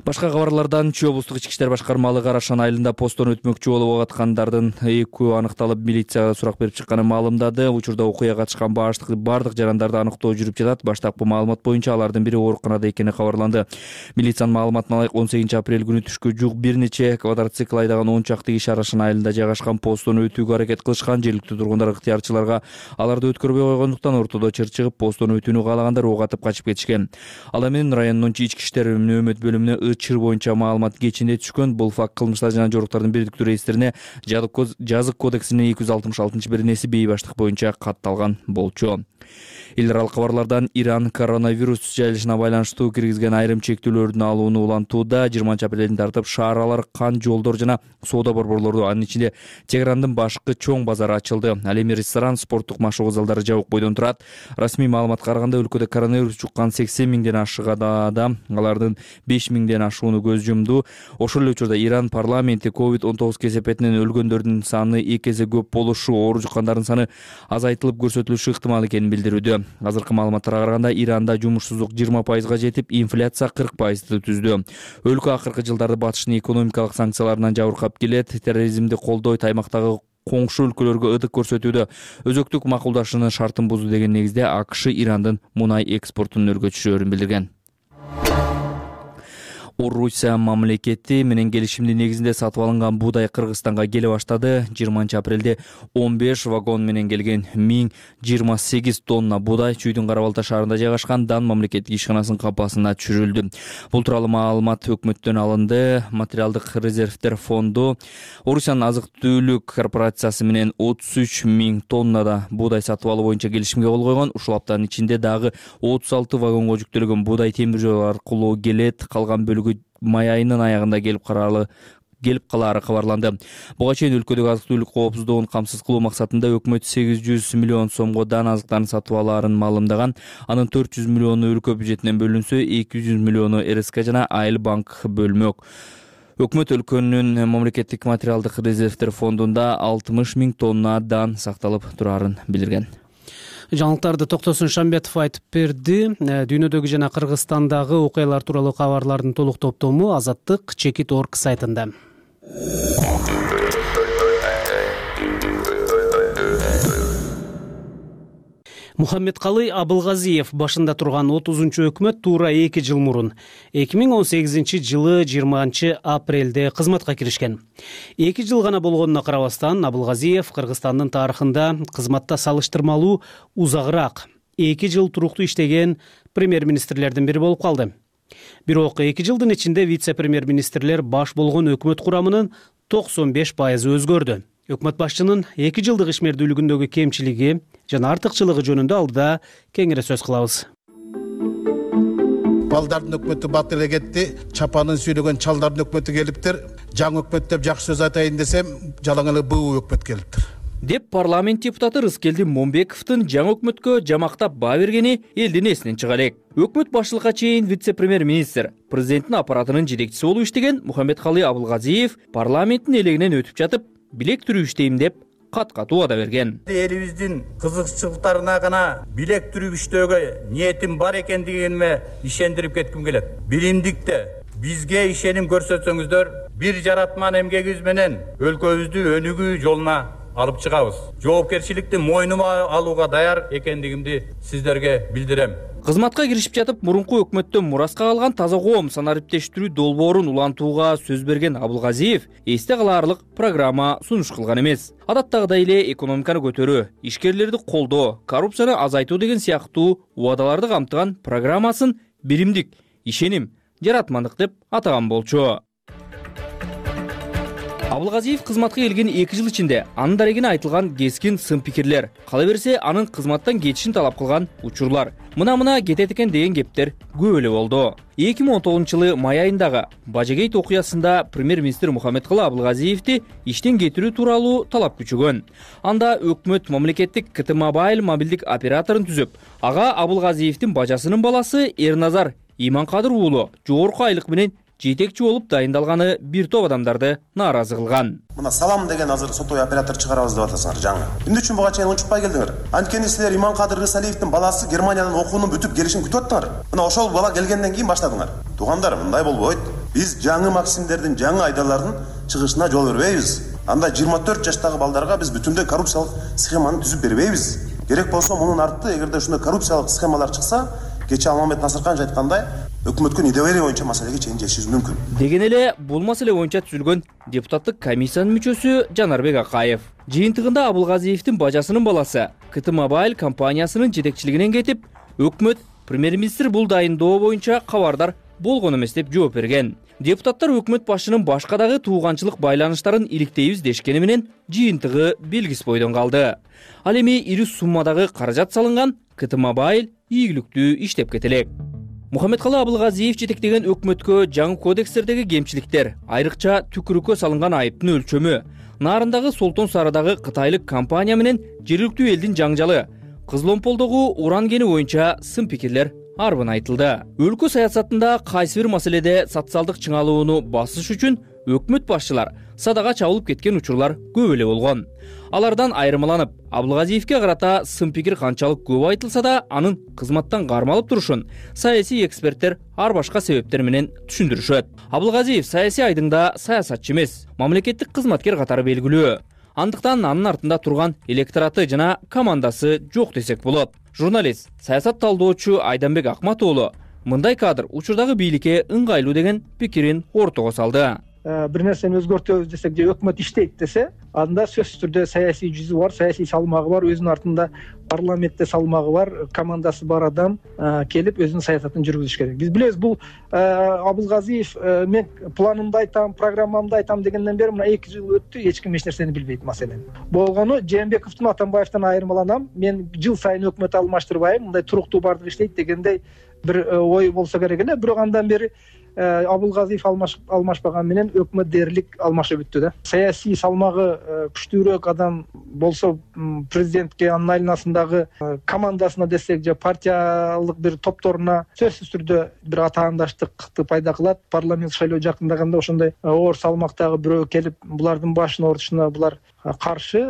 Башка кабарлардан Чүй облустук ички иштер башкармалыгы Карашан айылында посттон өтмөкчү болуп аткандардын экөө аныкталып милицияга сурак берип чыкканын маалымдады. Учурда окуяга катышкан баштык бардык жарандарды аныктоо жүрүп жатат. Баштапкы маалымат боюнча алардын бири ооруканада экени кабарланды. Милициянын маалыматына ылайык он сегизинчи апрель күнү түшкө жук бир нече квадроцикл айдаган он чакты киши Карашан айылында жайгашкан посттон өтүүгө аракет кылышкан. Жергиликтүү тургундар ыктыярчыларга аларды өткөрбөй койгондуктан ортодо чыр чыгып постон өтүүнү каалагандар ок атып качып кетишкен. Ал эми райондун ички иштер нөөмөт бөлүмүнө чыр боюнча маалымат кечинде түшкөн. Бул факт кылмыштар жана жоруктардын бирдиктүү реестрине жазык кодексинин эки жүз алтымыш алтынчы беренеси бейбаштык боюнча катталган болчу. Эл аралык кабарлардан Иран коронавирус жайылышына байланыштуу киргизген айрым чектөөлөрдүн алууну улантууда. жыйырманчы апрелден тартып шааралар, кан жолдор жана соода борборлору, анын ичинде Тегерандын башкы чоң базары ачылды. Ал эми ресторан, спорттук машыгуу залдары жабык бойдон турат. Расмий маалыматка караганда өлкөдө коронавирус жуккан сексен миңден ашыгада, алардын беш миңден ашууну көз жумду. Ошол эле учурда Иран парламенти ковид он тогуз кесепетинен өлгөндөрдүн саны эки эсе көп болушу, оору жуккандардын саны азайтылып көрсөтүлүшү ыктымал экенин билдирүүдө. Азыркы маалыматтарга караганда Иранда жумушсуздук жыйырма пайызга жетип, инфляция кырк пайызды түздү. Өлкө акыркы жылдарда батыштын экономикалык санкцияларынан жабыркап келет. Терроризмди колдойт, аймактагы коңшу өлкөлөргө ыдык көрсөтүүдө өзөктүк макулдашуунун шартын бузду деген негизде АКШ Ирандын мунай экспортун нөлгө түшүрөөрүн билдирген. Орусия мамлекети менен келишимдин негизинде сатып алынган буудай Кыргызстанга келе баштады. жыйырманчы апрелде он беш вагон менен келген миң жыйырма сегиз тонна буудай Чүйдүн Кара Балта шаарында жайгашкан Дан мамлекеттик ишканасынын капасына түшүрүлдү. Бул тууралуу маалымат өкмөттөн алынды. Материалдык резервдер фонду Орусиянын азык-түлүк корпорациясы менен отуз үч миң тоннада буудай сатып алуу боюнча келишимге кол койгон. Ушул аптанын ичинде дагы отуз алты вагонго жүктөлгөн буудай темир жол аркылуу келет. Калган бөлүгү май айынын аягында келип каралы келип калаары кабарланды. Буга чейин өлкөдөгү азык-түлүк коопсуздугун камсыз кылуу максатында өкмөт сегиз жүз миллион сомго дан азыктарын сатып алаарын маалымдаган. Анын төрт жүз миллиону өлкө бюджетинен бөлүнсө, эки жүз миллиону РСК жана Айыл банк бөлмөк. Өкмөт өлкөнүн мамлекеттик материалдык резервдер фондунда алтымыш миң тонна дан сакталып турарын билдирген. Жаңылыктарды Токтосун Шамбетов айтып берди. Дүйнөдөгү жана Кыргызстандагы окуялар тууралуу кабарлардын толук топтому азаттык чекит точка орг сайтында. Мухаммедкалый Абылгазиев башында турган отузунчу өкмөт туура эки жыл мурун эки миң он сегизинчи жылы жыйырманчы апрелде кызматка киришкен. эки жыл гана болгонуна карабастан Абылгазиев Кыргызстандын тарыхында кызматта салыштырмалуу узагыраак эки жыл туруктуу иштеген премьер-министрлердин бири болуп калды. Бирок эки жылдын ичинде вице-премьер-министрлер баш болгон өкмөт курамынын токсон беш пайызы өзгөрдү. Өкмөт башчынын эки жылдык ишмердүүлүгүндөгү кемчилиги жана артыкчылыгы жөнүндө алдыда кеңири сөз кылабыз. Балдардын өкмөтү бат эле кетти, чапанын сүйлөгөн чалдардын өкмөтү келиптир. Жаңы өкмөт деп жакшы сөз айтайын десем, жалаң эле буу өкмөт келиптир. Деп парламент депутаты Рыскелди Момбековдун жаңы өкмөткө жамактап баа бергени элдин эсинен чыга элек. Өкмөт башчылыкка чейин вице-премьер-министр, президенттин аппаратынын жетекчиси болуп иштеген Мухаммедкалый Абылгазиев парламенттин элегинен өтүп жатып, билек түрүү иштейм деп кат-кат убада берген. Элибиздин кызыкчылыктарына гана билек түрүп иштөөгө ниетим бар экендигиме ишендирип кетким келет. Билимдикте бизге ишеним көрсөтсөңүздөр, бир жаратман эмгегибиз менен өлкөбүздү өнүгүү жолуна алып чыгабыз. Жоопкерчиликти мойнума алууга даяр экендигимди сиздерге билдирем. Кызматка киришип жатып, мурунку өкмөттөн мураска калган таза коом санариптештирүү долбоорун улантууга сөз берген Абылгазиев эсте калаарлык программа сунуш кылган эмес. Адаттагыдай эле экономиканы көтөрүү, ишкерлерди колдоо, коррупцияны азайтуу деген сыяктуу убадаларды камтыган программасын биримдик, ишеним, жаратмандык деп атаган болчу. Абылгазиев кызматка келген эки жыл ичинде анын дарегине айтылган кескин сын пикирлер, кала берсе анын кызматтан кетишин талап кылган учурлар, мына-мына кетет экен деген кептер көп эле болду. эки миң он тогузунчу жылы май айындагы Бажагейт окуясында премьер-министр Мухаммедкалый Абылгазиевди иштен кетирүү тууралуу талап күчөгөн. Анда өкмөт мамлекеттик ка тэ Мобайл мобилдик операторун түзүп, ага Абылгазиевдин бажасынын баласы Эрназар Иманкадыр уулу жогорку айлык менен жетекчи болуп дайындалганы бир топ адамдарды нааразы кылган. Мына салам деген азыр сотовый оператор чыгарабыз деп атасыңар жаңы. Эмне үчүн буга чейин унчукпай келдиңер? Анткени силер Иманкадыр Рысалиевдин баласы Германиядан окуунун бүтүп келишин күтүп аттыңар. Мына ошол бала келгенден кийин баштадыңар. Туугандар, мындай болбойт. Биз жаңы максимдердин, жаңы айдарлардын чыгышына жол бербейбиз. Анда жыйырма төрт жаштагы балдарга биз бүтүндөй коррупциялык схеманы түзүп бербейбиз. Керек болсо мунун арты эгерде ушундай коррупциялык схемалар чыкса, кечээ Алмамет Насырканович айткандай, өкмөткө недоверие боюнча маселеге чейин жетишибиз мүмкүн. Деген эле бул маселе боюнча түзүлгөн депутаттык комиссиянын мүчөсү Жанарбек Акаев жыйынтыгында Абылгазиевдин бажасынын баласы ка тэ Мобайл компаниясынын жетекчилигинен кетип, өкмөт премьер-министр бул дайындоо боюнча кабардар болгон эмес деп жооп берген. Депутаттар өкмөт башчынын башка дагы тууганчылык байланыштарын иликтейбиз дешкени менен жыйынтыгы белгисиз бойдон калды. Ал эми ири суммадагы каражат салынган ка тэ Мобайл ийгиликтүү иштеп кетелек. Мухаммедкалый Абылгазиев жетектеген өкмөткө жаңы кодекстердеги кемчиликтер, айрыкча түкүрүккө салынган айыптын өлчөмү, Нарындагы Солтон Сарыдагы кытайлык компания менен жергиликтүү элдин жаңжалы, Кызыломполдогу уран кени боюнча сын пикирлер арбын айтылды. Өлкө саясатында кайсы бир маселеде социалдык чыңалууну басыш үчүн өкмөт башчылар садага чабылып кеткен учурлар көп эле болгон. Алардан айырмаланып, Абылгазиевке карата сын пикир канчалык көп айтылса да, анын кызматтан кармалып турушун саясий эксперттер ар башка себептер менен түшүндүрүшөт. Абылгазиев саясий айдыңда саясатчы эмес, мамлекеттик кызматкер катары белгилүү. Андыктан анын артында турган электораты жана командасы жок десек болот. Журналист, саясат талдоочу Айданбек Акматоолу мындай кадр учурдагы бийликке ыңгайлуу деген пикирин ортого салды. Бир нерсени өзгөртөбүз десек же өкмөт иштейт десе, анда сөзсүз түрдө саясий жүзү бар, саясий салмагы бар, өзүнүн артында парламентте салмагы бар, командасы бар адам келип өзүнүн саясатын жүргүзүш керек. Биз билебиз, бул Абылгазиев мен планымды айтам, программамды айтам дегенден бери мына эки жыл өттү, эч ким эч нерсени билбейт маселени. Болгону Жээнбековдун, Атамбаевден айырмаланам. Мен жыл сайын өкмөт алмаштырбайм, мындай туруктуу бардыгы иштейт дегендей бир ой болсо керек эле. Бирок андан бери Абылгазиев алмашпаган менен өкмөт дээрлик алмашып бүттү да. Саясий салмагы күчтүүрөөк адам болсо президентке, анын айланасындагы командасына десек же партиялык бир топторуна сөзсүз түрдө бир атаандаштыкты пайда кылат. Парламент шайлоо жакындаганда ошондой оор салмактагы бирөө келип булардын башын орутушуна булар каршы,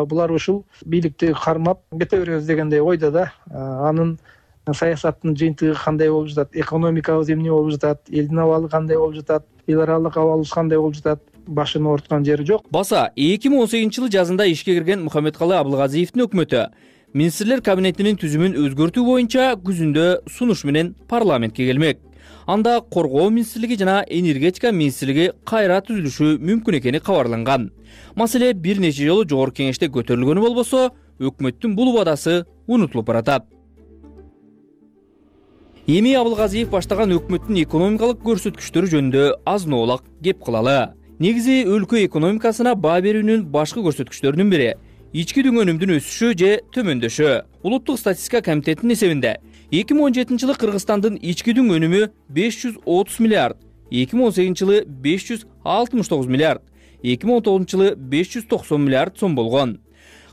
булар ушул бийликти кармап кете беребиз дегендей ойдо да. Анын саясаттын жыйынтыгы кандай болуп жатат, экономикабыз эмне болуп жатат, элдин абалы кандай болуп жатат, эл аралык абалыбыз кандай болуп жатат. башын ооруткан жери жок. Баса эки миң он сегизинчи жылы жазында ишке кирген Мухаммедкалый Абылгазиевдин өкмөтү министрлер кабинетинин түзүмүн өзгөртүү боюнча күзүндө сунуш менен парламентке келмек. Анда коргоо министрлиги жана энергетика министрлиги кайра түзүлүшү мүмкүн экени кабарланган. Маселе бир нече жолу жогорку кеңеште көтөрүлгөнү болбосо, өкмөттүн бул убадасы унутулуп баратат. Эми Абылгазиев баштаган өкмөттүн экономикалык көрсөткүчтөрү жөнүндө азын-оолак кеп кылалы. Негизи өлкө экономикасына баа берүүнүн башкы көрсөткүчтөрүнүн бири ички дүң өнүмдүн өсүшү же төмөндөшү. Улуттук статистика комитетинин эсебинде эки миң он жетинчи жылы Кыргызстандын ички дүң өнүмү беш жүз отуз миллиард, эки миң он сегизинчи жылы беш жүз алтымыш тогуз миллиард, эки миң он тогузунчу жылы беш жүз токсон миллиард сом болгон.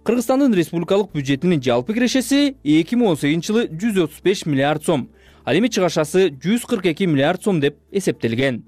Кыргызстандын республикалык бюджетинин жалпы кирешеси эки миң он сегизинчи жылы жүз отуз беш миллиард сом, ал эми чыгашасы жүз кырк эки миллиард сом деп эсептелген.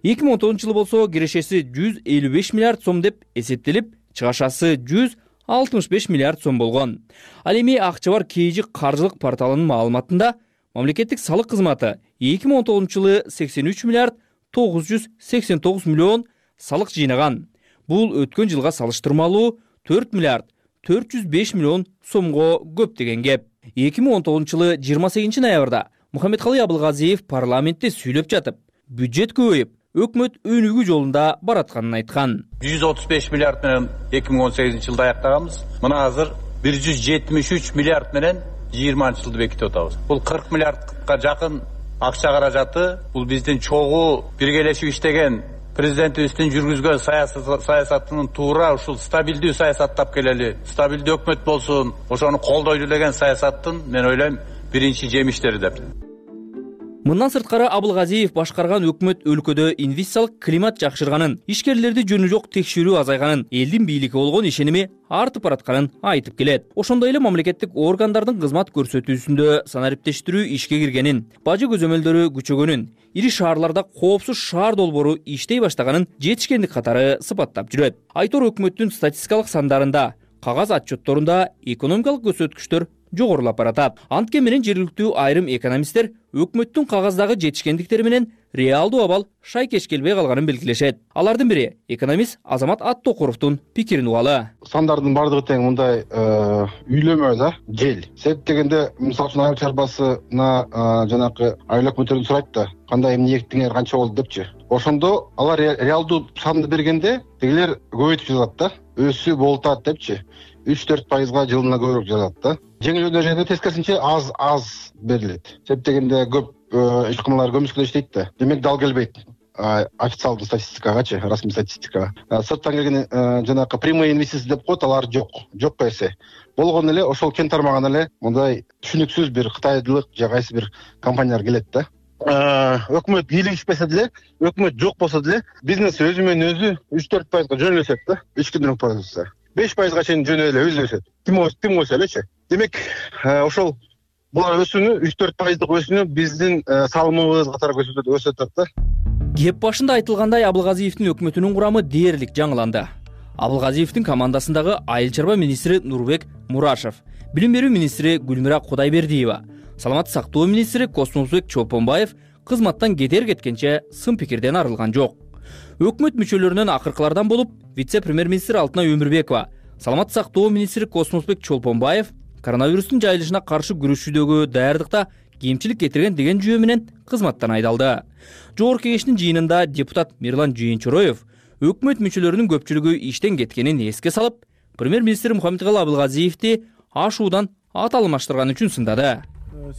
эки миң он тогузунчу жылы болсо кирешеси жүз элүү беш миллиард сом деп эсептелип, чыгашасы жүз алтымыш беш миллиард сом болгон. Ал эми Акча бар Кейжи каржылык порталынын маалыматында мамлекеттик салык кызматы эки миң он тогузунчу жылы сексен үч миллиард тогуз жүз сексен тогуз миллион салык жыйнаган. Бул өткөн жылга салыштырмалуу төрт миллиард төрт жүз беш миллион сомго көп деген кеп. эки миң он тогузунчу жылы жыйырма сегизинчи ноябрда Мухаммедкалый Абылгазиев парламентте сүйлөп жатып, бюджет көбөйүп, өкмөт өнүгүү жолунда баратканын айткан. жүз отуз беш миллиард менен эки миң он сегизинчи жылда аяктаганбыз. Мына азыр бир жүз жетимиш үч миллиард менен жыйырманчы жылды бекитип атабыз. Бул кырк миллиардка жакын акча каражаты. Бул биздин чогуу биргелешип иштеген президентибиздин жүргүзгөн саясатынын туура ушул стабилдүү саясаттап келели, стабилдүү өкмөт болсун, ошону колдойлу деген саясаттын мен ойлойм биринчи жемиштери деп. Мындан сырткары Абылгазиев башкарган өкмөт өлкөдө инвестициялык климат жакшырганын, ишкерлерди жөнү жок текшерүү азайганын, элдин бийликке болгон ишеними артып баратканын айтып келет. Ошондой эле мамлекеттик органдардын кызмат көрсөтүүсүндө санариптештирүү ишке киргенин, бажы көзөмөлдөрү күчөгөнүн, ири шаарларда коопсуз шаар долбоору иштей баштаганын жетишкендик катары сыпаттап жүрөт. Айтор өкмөттүн статистикалык сандарында, кагаз отчетторунда экономикалык көрсөткүчтөр жогорулап баратат. Антке менен жергиликтүү айрым экономисттер өкмөттүн кагаздагы жетишкендиктери менен реалдуу абал шайкеш келбей калганын белгилешет. Алардын бири экономист Азамат Аттокуровдун пикирин угалы. Сандардын бардыгы тең мындай үйлөмө да, жел. Себеп дегенде, мисалы үчүн айыл чарбасына жанакы айыл өкмөттөрдөн сурайт да, кандай эмне эктиңер, канча болду депчи. Ошондо алар реалдуу санды бергенде, тегилер көбөйтүп жазат да, өсүү болтат депчи. үч төрт пайызга жылына көбүрөөк жазат да. Жеңил өнөр тескерисинче аз аз берилет. Себеп дегенде көп ишканалар көмүскөдө иштейт да. Демек дал келбейт официалдуу статистикагачы, расмий статистикага. Сырттан келген жанакы прямой инвестиция деп коет, алар жок. Жок эсе. Болгон эле ошол кен тармагына эле мындай түшүнүксүз бир кытайлык же кайсы бир компаниялар келет да. Өкмөт бийлигишпесе деле, өкмөт жок болсо деле, бизнес өзү менен өзү үч төрт пайызга жөнөлөт да. ички дүң продукция. беш пайызга чейин жөнө эле өзү өсөт. Ким ким өсө элечи. Демек, ошол булар өсүүнү үч төрт пайыздык өсүүнү биздин салымыбыз катары өсөт да. Кеп башында айтылгандай, Абылгазиевдин өкмөтүнүн курамы дээрлик жаңыланды. Абылгазиевдин командасындагы айыл чарба министри Нурбек Мурашев, билим берүү министри Гүлмира Кудайбердиева, саламаттык сактоо министри Космосбек Чолпонбаев кызматтан кетер кеткенче сын пикирден арылган жок. Өкмөт мүчөлөрүнөн акыркылардан болуп, вице-премьер-министр Алтынай Өмүрбекова, саламаттык сактоо министри Космосбек Чолпонбаев коронавирустун жайылышына каршы күрөшүүдөгү даярдыкта кемчилик кетирген деген жүйө менен кызматтан айдалды. Жогорку кеңештин жыйынында депутат Мирлан Жыйынчороев өкмөт мүчөлөрүнүн көпчүлүгү иштен кеткенин эске салып, премьер-министр Мухаммедкалый Абылгазиевди ашуудан ат алмаштырган үчүн сындады.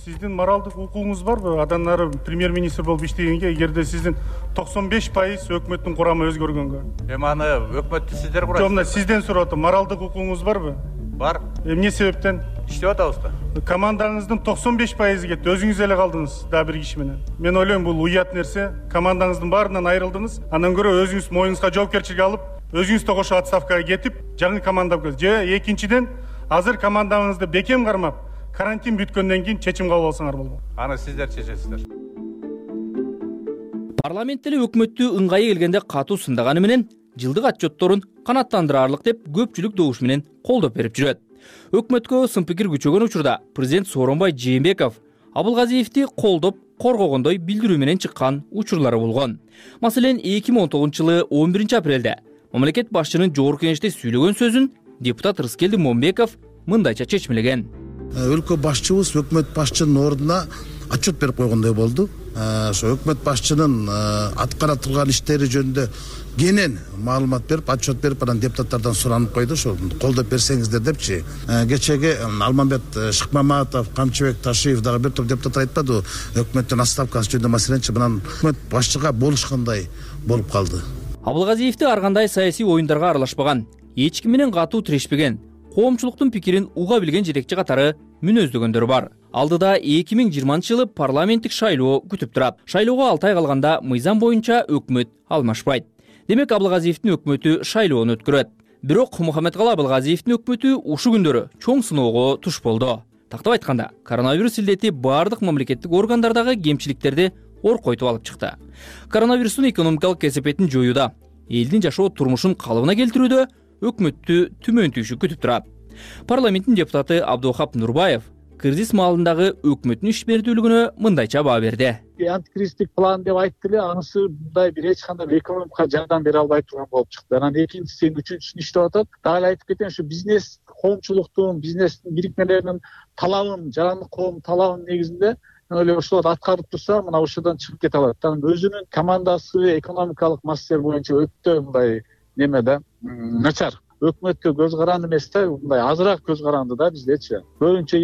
Сиздин моралдык укугуңуз барбы? Адан ары премьер-министр болуп иштегенге, эгерде сиздин токсон беш пайыз өкмөттүн курамы өзгөргөнгө? Эми аны өкмөттү сиздер курасыздар. Жок, мына сизден сурап атам. Моралдык укугуңуз барбы? Бар. Эмне себептен? Иштеп атабыз да. Командаңыздын токсон беш пайызы кетти. Өзүңүз эле калдыңыз дагы бир киши менен. Мен ойлойм, бул уят нерсе. Командаңыздын баарынан айрылдыңыз. Андан көрө өзүңүз моюңузга жоопкерчилик алып, өзүңүз да кошо отставкага кетип, жаңы команда кыз. Же экинчиден, азыр командаңызды бекем кармап, карантин бүткөндөн кийин чечим кабыл алсаңар болбойт. Аны сиздер чечесиздер. Парламент эле өкмөттү ыңгайы келгенде катуу сындаганы менен жылдык отчетторун канааттандырарлык деп көпчүлүк добуш менен колдоп берип жүрөт. Өкмөткө сын пикир күчөгөн учурда президент Сооронбай Жээнбеков Абылгазиевди колдоп коргогондой билдирүү менен чыккан учурлары болгон. Маселен, эки миң он тогузунчу жылы он биринчи апрелде мамлекет башчынын жогорку кеңеште сүйлөгөн сөзүн депутат Рыскелди Момбеков мындайча чечмелеген. Өлкө башчыбыз өкмөт башчынын ордуна отчет берип койгондой болду. Ошо өкмөт башчынын аткара турган иштери жөнүндө кенен маалымат берип, отчет берип, анан депутаттардан суранып койду, ошо колдоп берсеңиздер депчи. Кечеги Алмамбет Шыкмаматов, Камчыбек Ташиев дагы бир топ депутаттар айтпады, өкмөттүн отставкасы жөнүндө маселенчи мынан өкмөт башчыга болушкандай болуп калды. Абылгазиевди ар кандай саясий оюндарга аралашпаган, эч ким менен катуу тирешпеген, коомчулуктун пикирин уга билген жетекчи катары мүнөздөгөндөр бар. Алдыда эки миң жыйырманчы жылы парламенттик шайлоо күтүп турат. Шайлоого алты ай калганда мыйзам боюнча өкмөт алмашпайт. Демек, Абылгазиевдин өкмөтү шайлоону өткөрөт. Бирок Мухаммедкалы Абылгазиевдин өкмөтү ушу күндөрү чоң сыноого туш болду. Тактап айтканда, коронавирус илдети бардык мамлекеттик органдардагы кемчиликтерди оркойтуп алып чыкты. Коронавирустун экономикалык кесепетин жоюуда, элдин жашоо турмушун калыбына келтирүүдө өкмөттү түмөн түйшү күтүп турат. Парламенттин депутаты Абдухап Нурбаев кризис маалындагы өкмөттүн ишмердүүлүгүнө мындайча баа берди. Антикризистик план деп айтты эле, анысы мындай бир эч кандай экономикага жардам бере албай турган болуп чыкты. Анан экинчиси, үчүнчүсүн иштеп атат. Дагы эле айтып кетейин, ушу бизнес, коомчулуктун, бизнестин бирикмелеринин талабын, жарандык коом талабынын негизинде эле ошолорду аткарып турса, мына ошодон чыгып кете алат. Анан өзүнүн командасы экономикалык маселелер боюнча өтө мындай неме да, начар. Өкмөткө көз каранды эмес да, мындай азыраак көз каранды да биздечи. Көбүнчө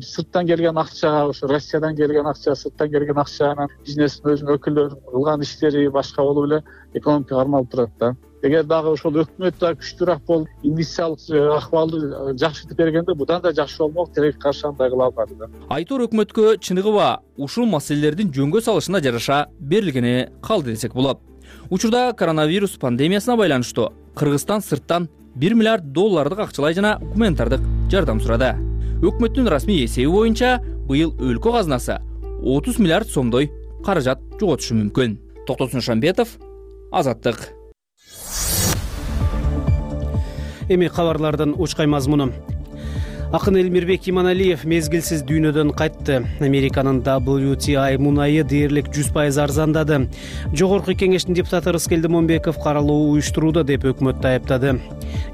сырттан келген акча, ошо Россиядан келген акча, сырттан келген акча анан бизнестин өзүнүн өкүлдөрүнүн кылган иштери башка болуп эле экономика кармалып турат да. Эгер дагы ошол өкмөт да күчтүүрөөк болуп, инвестициялык акыбалды жакшыртып бергенде будан да жакшы болмок, тилекке каршы андай кыла албады да. Айтор өкмөткө чыныгыба ушул маселелердин жөнгө салышына жараша берилгени калды десек болот. Учурда коронавирус пандемиясына байланыштуу Кыргызстан сырттан бир миллиард доллардык акчалай жана гуманитардык жардам сурады. Өкмөттүн расмий эсеби боюнча быйыл өлкө казынасы отуз миллиард сомдой каражат жоготушу мүмкүн. Токтосун Шамбетов, Азаттык. Эми кабарлардын учкай мазмуну. Акын Элмирбек Иманалиев мезгилсиз дүйнөдөн кайтты. Американын дабл ю ти ай мунайы дээрлик жүз пайыз арзандады. Жогорку кеңештин депутаты Рыскелди Момбеков каралуу уюштурууда деп өкмөттү айыптады.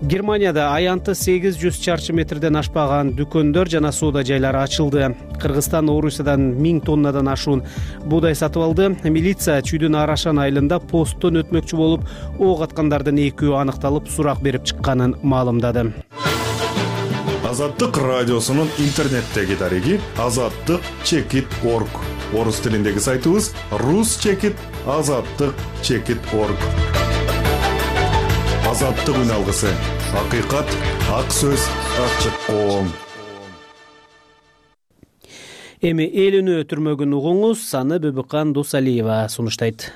Германияда аянты сегиз жүз чарчы метрден ашпаган дүкөндөр жана соода жайлары ачылды. Кыргызстан Орусиядан миң тоннадан ашуун буудай сатып алды. Милиция чүйдүн Арашан айылында посттон өтмөкчү болуп, ок аткандардын экөө аныкталып, сурак берип чыкканын маалымдады. Азаттык радиосунун интернеттеги дареги азаттык чекит точка орг. Орус тилиндеги сайтыбыз рус чекит азаттык чекит точка орг. Азаттык үн алгысы. Акыйкат, ак сөз, ачык коом. Эми эл үнү түрмөгүн угуңуз, Саны Бөбүкан Досалиева сунуштайт.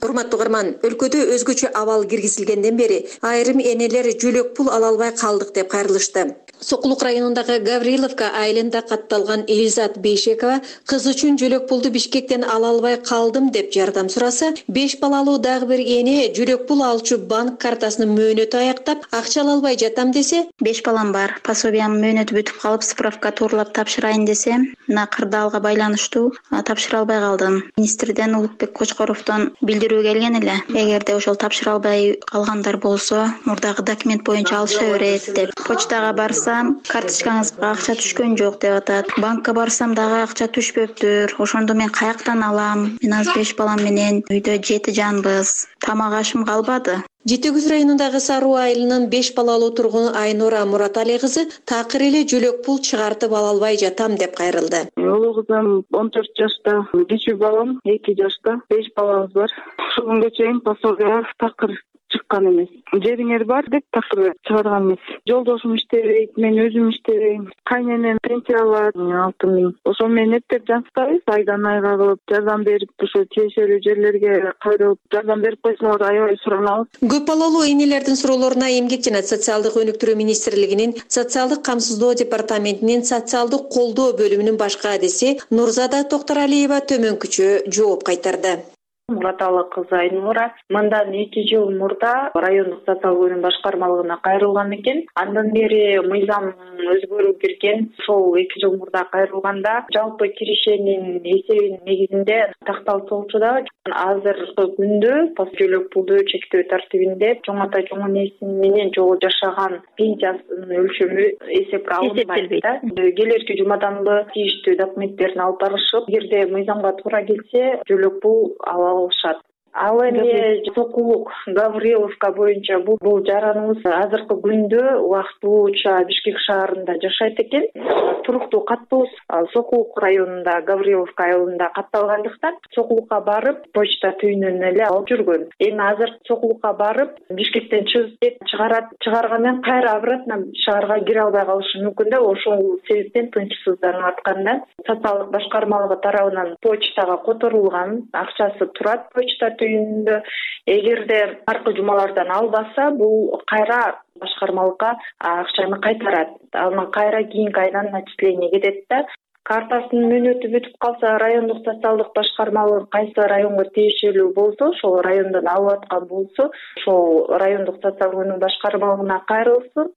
Урматтуу угарман, өлкөдө өзгөчө абал киргизилгенден бери айрым энелер жөлөк пул ала албай калдык деп кайрылышты. Сокулук районундагы Гавриловка айылында катталган Элизат Бейшекова кыз үчүн жөлөк пулду Бишкектен ала албай калдым деп жардам сураса, беш балалуу дагы бир эне жөлөк пул алчу банк картасынын мөөнөтү аяктап, акча ала албай жатам десе, беш балам бар, пособиянын мөөнөтү бүтүп калып, справка туурлап тапшырайын десем, мына кырдаалга байланыштуу тапшыра албай калдым. Министрден Улукбек Кочкоровдон билдирүү келген эле. Эгерде ошол тапшыра албай калгандар болсо, мурдагы документ боюнча алыша берет деп. Почтага барсам, карточкаңызга акча түшкөн жок деп атат. Банкка барсам дагы акча түшпөптүр. Ошондо мен каяктан алам? Мен азыр беш балам менен үйдө жети жанбыз. Тамак ашым калбады. Жети Күз районундагы Саруу айылынын беш балалуу тургуну Айнура Муратали кызы такыр эле жөлөк пул чыгартып ала албай жатам деп кайрылды. Улуу кызым он төрт жашта, кичүү балам эки жашта, беш балабыз бар. Ушул күнгө чейин пособия такыр чыккан эмес. Жериңер бар деп такыр чыгарган эмес. Жолдошум иштебейт, мен өзүм иштебейм. Кайненем пенсия алат алты миң. Ошо менен эптеп жансызбайбыз, айдан айга кылып жардам берип, ошо тиешелүү жерлерге кайрылып жардам берип койсоңор аябай суранабыз. Көп балалуу энелердин суроолоруна Эмгек жана социалдык өнүктүрүү министрлигинин социалдык камсыздоо департаментинин социалдык колдоо бөлүмүнүн башкы адиси Нурзада Токторалиева төмөнкүчө жооп кайтарды. Мураталы кызы Айнура мындан эки жыл мурда райондук социалдык өнүм башкармалыгына кайрылган экен. Андан бери мыйзам өзгөрүү келген. Ошол эки жыл мурда кайрылганда жалпы киришенин эсебинин негизинде такталып болчу да азыркы күндө жөлөк пулду чектөө тартибинде чоң ата чоң энеси менен жолу жашаган пенсиясынын өлчөмү эсепке алынбайт да. Келерки жумаданбы тийиштүү документтерин алып барышып, эгерде мыйзамга туура келсе жөлөк пул ала алышат. Ал эми Сокулук Гавриловка боюнча бул бул жараныбыз азыркы күндө убактылууча Бишкек шаарында жашайт экен. Туруктуу катыбыз Сокулук районунда Гавриловка айылында катталгандыктан Сокулукка барып почта түйүнөн эле алып жүргөн. Эми азыр Сокулукка барып Бишкектен чыгып деп чыгарат, чыгаргандан кайра обратно шаарга кире албай калышы мүмкүн да. Ошол себептен тынчсызданып атканда социалдык башкармалыгы тарабынан почтага которулган, акчасы турат почта түйүнүндө. Эгерде аркы жумалардан албаса, бул кайра башкармалыкка акчаны кайтарат. Анан кайра кийинки айдан начисление кетет да. Картасынын мөөнөтү бүтүп калса, райондук социалдык башкармалыгы кайсы районго тиешелүү болсо, ошол райондон алып аткан болсо, ошол райондук социалдык өнүм башкармалыгына кайрылсын.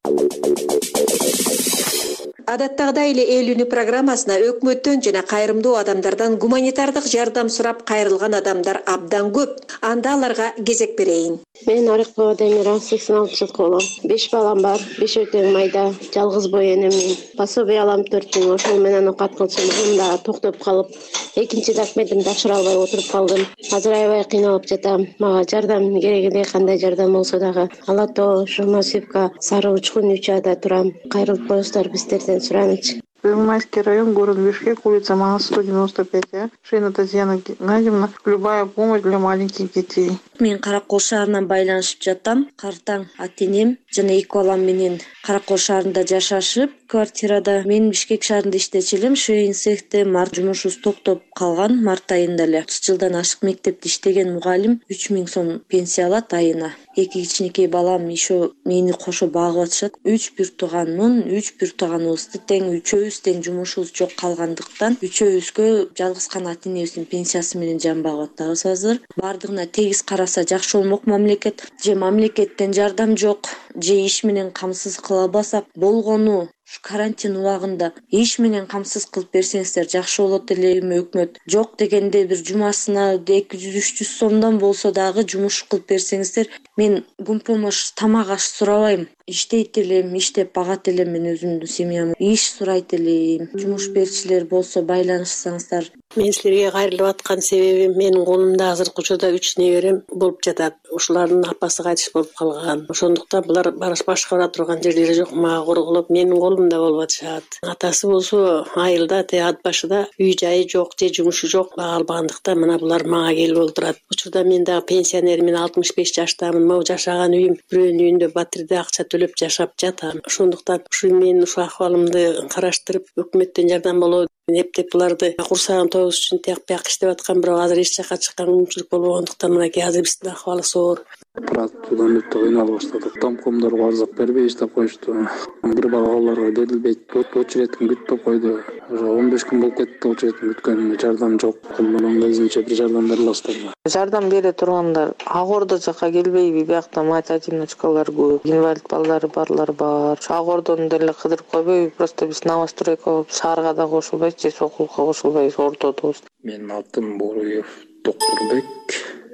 Адаттагыдай эле эл үнү программасына өкмөттөн жана кайрымдуу адамдардан гуманитардык жардам сурап кайрылган адамдар абдан көп. Анда аларга кезек берейин. Мен Арыкова Демира, сексен алты жаш болом. беш балам бар, беш өтөң майда, жалгыз бой энемин. Пособие алам төрт миң, ошол менен окат кылчумдум да токтоп калып, экинчи документимди тапшыра албай отуруп калдым. Азыр аябай кыйналып жатам. Мага жардам керек эле, кандай жардам болсо дагы. Ала Тоо, Шурмасевка, Сары Учкун үч Ада турам. Кайрылып коесуздар биздерден суранычы. Первомайский район, город Бишкек, улица Мага, сто девяносто пять. Шейна Татьяна Геннадьевна. Любая помощь для маленьких детей. Мен Каракол шаарынан байланышып жатам. Картаң ата-энем жана эки балам менен Каракол шаарында жашашып, квартирада. Мен Бишкек шаарында иштечү элем. Шейин цехте март жумушубуз токтоп калган, март айында эле. отуз жылдан ашык мектепте иштеген мугалим үч миң сом пенсия алат айына. Эки кичинекей балам еще мени кошо багып атышат. Үч бир тууганмын, үч бир тууганыбызды тең үчөөбүз тең жумушубуз жок калгандыктан үчөөбүзгө жалгыз гана ата-энебиздин пенсиясы менен жан багып атабыз азыр. Бардыгына тегиз караса жакшы болмок мамлекет. Же мамлекеттен жардам жок, же иш менен камсыз кыла албасак болгону карантин убагында иш менен камсыз кылып берсеңиздер жакшы болот эле. Эми өкмөт жок дегенде бир жумасына эки жүз үч жүз сомдон болсо дагы жумуш кылып берсеңиздер. Мен гумпомощь тамак аш сурабайм. Иштейт элем, иштеп багат элем мен өзүмдүн семьямды. Иш сурайт элем. Жумуш берүүчүлөр болсо байланышсаңыздар. Мен силерге кайрылып аткан себебим, менин колумда азыркы учурда үч неберем болуп жатат. Ушулардын апасы кайтыш болуп калган. Ошондуктан булар башка бара турган жерлери жок. Мага корголоп, менин колумда болуп атышат. Атасы болсо айылда, те ат башыда үй жайы жок, же жумушу жок, бага албагандыктан мына булар мага келип олтурат. Учурда мен дагы пенсионермин, алтымыш беш жаштамын. Могу жашаган үйүм бирөөнүн үйүндө батирде акча төлөп жашап жатам. Ошондуктан ушу мен ушу акыбалымды караштырып, өкмөттөн жардам болобу эптеп буларды курсагын тоюш үчүн тияк бияк иштеп аткан, бирок азыр эч жака чыккан мүмкүнчүлүк болбогондуктан мынакей азыр биздин акыбалыбыз оор. Продуктудан өтө кыйналып баштадык. Домкомдорго арызак бербей иштеп коюшту. Бир балаларга берилбейт. Очередин күтүп койду. Уже он беш күн болуп кетти очередин күткөнүнө. Жардам жок. Колдон өзүнчө бир жардам бере аласыздар. Жардам бере тургандар Агордо жака келбейби? Биякта мать-одиночкалар көп, инвалид балдары барлар бар. Агордону деле кыдырып койбойбу? Просто биз новостройко шаарга да кошулбайбыз, же Сокулукка кошулбайбыз, ортодобуз. Менин атым Боруев Токурбек,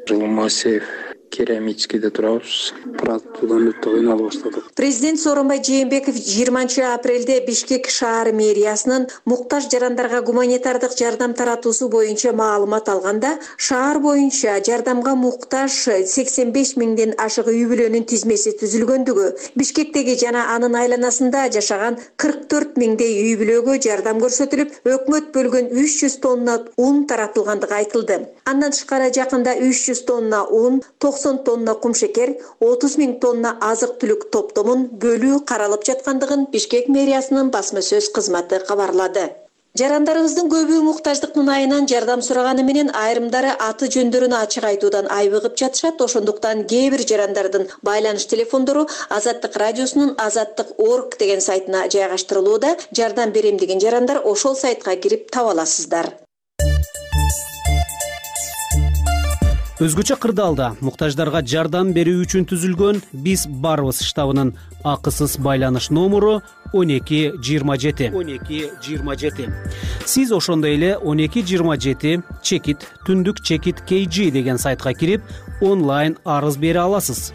Жылмасев, Керемичкеде турабыз. Продуктудан өтө кыйналып баштадык. Президент Сооронбай Жээнбеков жыйырманчы апрелде Бишкек шаар мэриясынын муктаж жарандарга гуманитардык жардам таратуусу боюнча маалымат алганда, шаар боюнча жардамга муктаж сексен беш миңден ашык үй бүлөнүн тизмеси түзүлгөндүгү, Бишкектеги жана анын айланасында жашаган кырк төрт миңдей үй бүлөгө жардам көрсөтүлүп, өкмөт бөлгөн үч жүз тонна ун таратылгандыгы айтылды. Андан тышкары жакында үч жүз тонна ун, токсон тонна кумшекер, отуз миң тонна азык-түлүк топтомун бөлүү каралып жаткандыгын Бишкек мэриясынын басма сөз кызматы кабарлады. Жарандарыбыздын көбү муктаждыктын айынан жардам сураганы менен айрымдары аты жөндөрүн ачык айтуудан айбыгып жатышат. Ошондуктан кээ бир жарандардын байланыш телефондору Азаттык радиосунун азаттык точка орг деген сайтына жайгаштырылууда. Жардам берем деген жарандар ошол сайтка кирип таба аласыздар. Өзгөчө кырдаалда муктаждарга жардам берүү үчүн түзүлгөн Биз барбыз штабынын акысыз байланыш номуру он эки жыйырма жети он эки жыйырма жети. Сиз ошондой эле он эки жыйырма жети чекит түндүк чекит kg деген сайтка кирип онлайн арыз бере аласыз.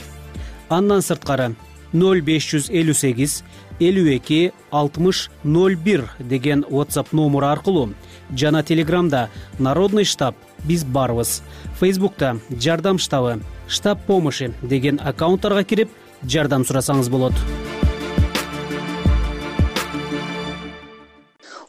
Андан сырткары ноль беш жүз элүү сегиз элүү эки алтымыш ноль бир деген WhatsApp номуру аркылуу жана Телеграмда Народный штаб Биз барбыз, Фейсбукта Жардам штабы, штаб помощи деген аккаунттарга кирип жардам сурасаңыз болот.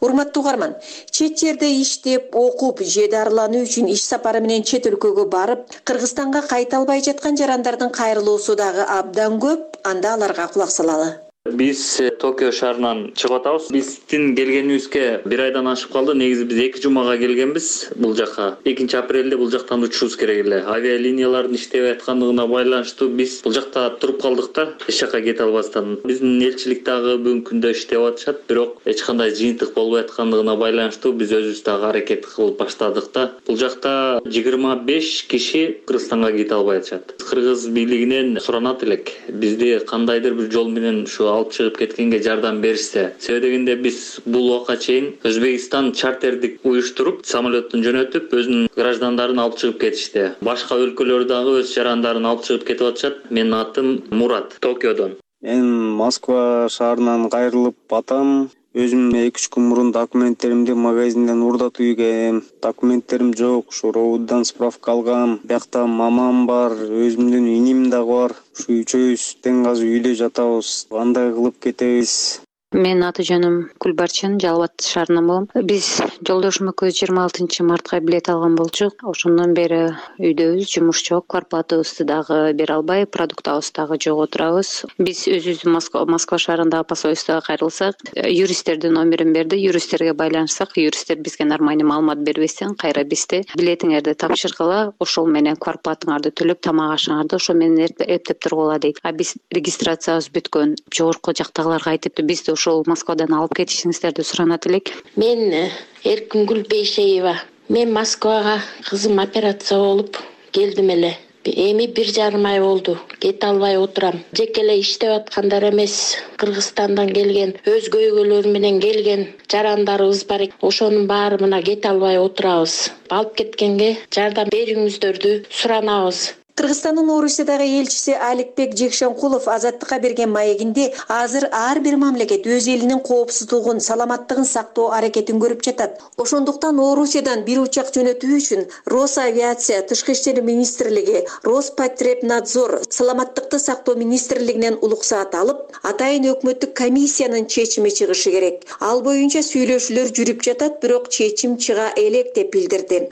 Урматтуу угарман, чет жерде иштеп, окуп же дарылануу үчүн иш сапары менен чет өлкөгө барып, Кыргызстанга кайта албай жаткан жарандардын кайрылуусу дагы абдан көп, анда аларга кулак салалы. Биз Токио шаарынан чыгып атабыз. Биздин келгенибизге бир айдан ашып калды. Негизи биз эки жумага келгенбиз бул жакка. экинчи апрелде бул жактан учушубуз керек эле. Авиалиниялардын иштебей аткандыгына байланыштуу биз бул жакта туруп калдык да, эч жакка кете албастан. Биздин элчилик дагы бүгүнкү күндө иштеп атышат, бирок эч кандай жыйынтык болбой аткандыгына байланыштуу биз өзүбүз дагы аракет кылып баштадык да. Бул жакта жыйырма беш киши Кыргызстанга кете албай атышат. Кыргыз бийлигинен суранат элек. Бизди кандайдыр бир жол менен ушу алып чыгып кеткенге жардам беришсе. Себеби дегенде биз бул убакка чейин Өзбекстан чартердик уюштуруп, самолеттон жөнөтүп, өзүнүн граждандарын алып чыгып кетишти. Башка өлкөлөр дагы өз жарандарын алып чыгып кетип атышат. Менин атым Мурат, Токиодон. Мен Москва шаарынан кайрылып атам. Өзүм эки үч күн мурун документтеримди магазинден уурдатып үйгөм. Документтерим жок, ушу ровддан справка алгам. Биякта мамам бар, өзүмдүн иним дагы бар. Ушу үчөөбүз тең азыр үйдө жатабыз. Кандай кылып кетебиз? Менин аты жөнүм Кулбарчын, Жалал Абад шаарынан болом. Биз жолдошум экөөбүз жыйырма алтынчы мартка билет алган болчук. Ошондон бери үйдөбүз, жумуш жок, квартплатабызды дагы бере албай, продуктабыз дагы жок отурабыз. Биз өзүбүздүн Москва, Москва шаарындагы посольствого кайрылсак, юристтердин номерин берди, юристтерге байланышсак, юристтер бизге нормальный маалымат бербестен кайра бизди билетиңерди тапшыргыла, ошол менен квартплатыңарды төлөп, тамак ашыңарды ошол менен эптеп тургула дейт. А биз регистрациябыз бүткөн. Жогорку жактагыларга айтыптыр, бизди ошол Москвадан алып кетишиңиздерди суранат элек. Мен Эркингүл Бейшеева. Мен Москвага кызым операция болуп келдим эле. Эми бир жарым ай болду. Кете албай отурам. Жеке эле иштеп аткандар эмес, Кыргызстандан келген, өзгө өйгөлөр менен келген жарандарыбыз бар. Ошонун баары мына кете албай отурабыз. Алып кеткенге жардам берүүңүздөрдү суранабыз. Кыргызстандын Орусиядагы элчиси Аликбек Жекшенкулов Азаттыкка берген маегинде азыр ар бир мамлекет өз элинин коопсуздугун, саламаттыгын сактоо аракетин көрүп жатат. Ошондуктан Орусиядан бир учак жөнөтүү үчүн Росавиация, Тышкы иштер министрлиги, Роспотребнадзор, Саламаттыкты сактоо министрлигинен улуксаат алып, атайын өкмөттүк комиссиянын чечими чыгышы керек. Ал боюнча сүйлөшүүлөр жүрүп жатат, бирок чечим чыга элек деп билдирди.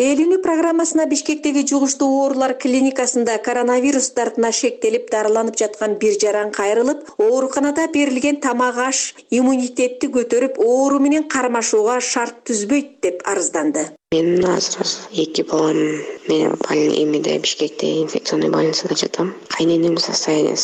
Элүүнү программасына Бишкектеги жугуштуу оорулар клиникасында коронавирус дартына шектелип дарыланып жаткан бир жаран кайрылып, ооруканада берилген тамак аш иммунитетти көтөрүп, оору менен кармашууга шарт түзбөйт деп арызданды. Мен азыр эки балам менен эмеде Бишкекте инфекционный больницада жатам. Кайненем состояние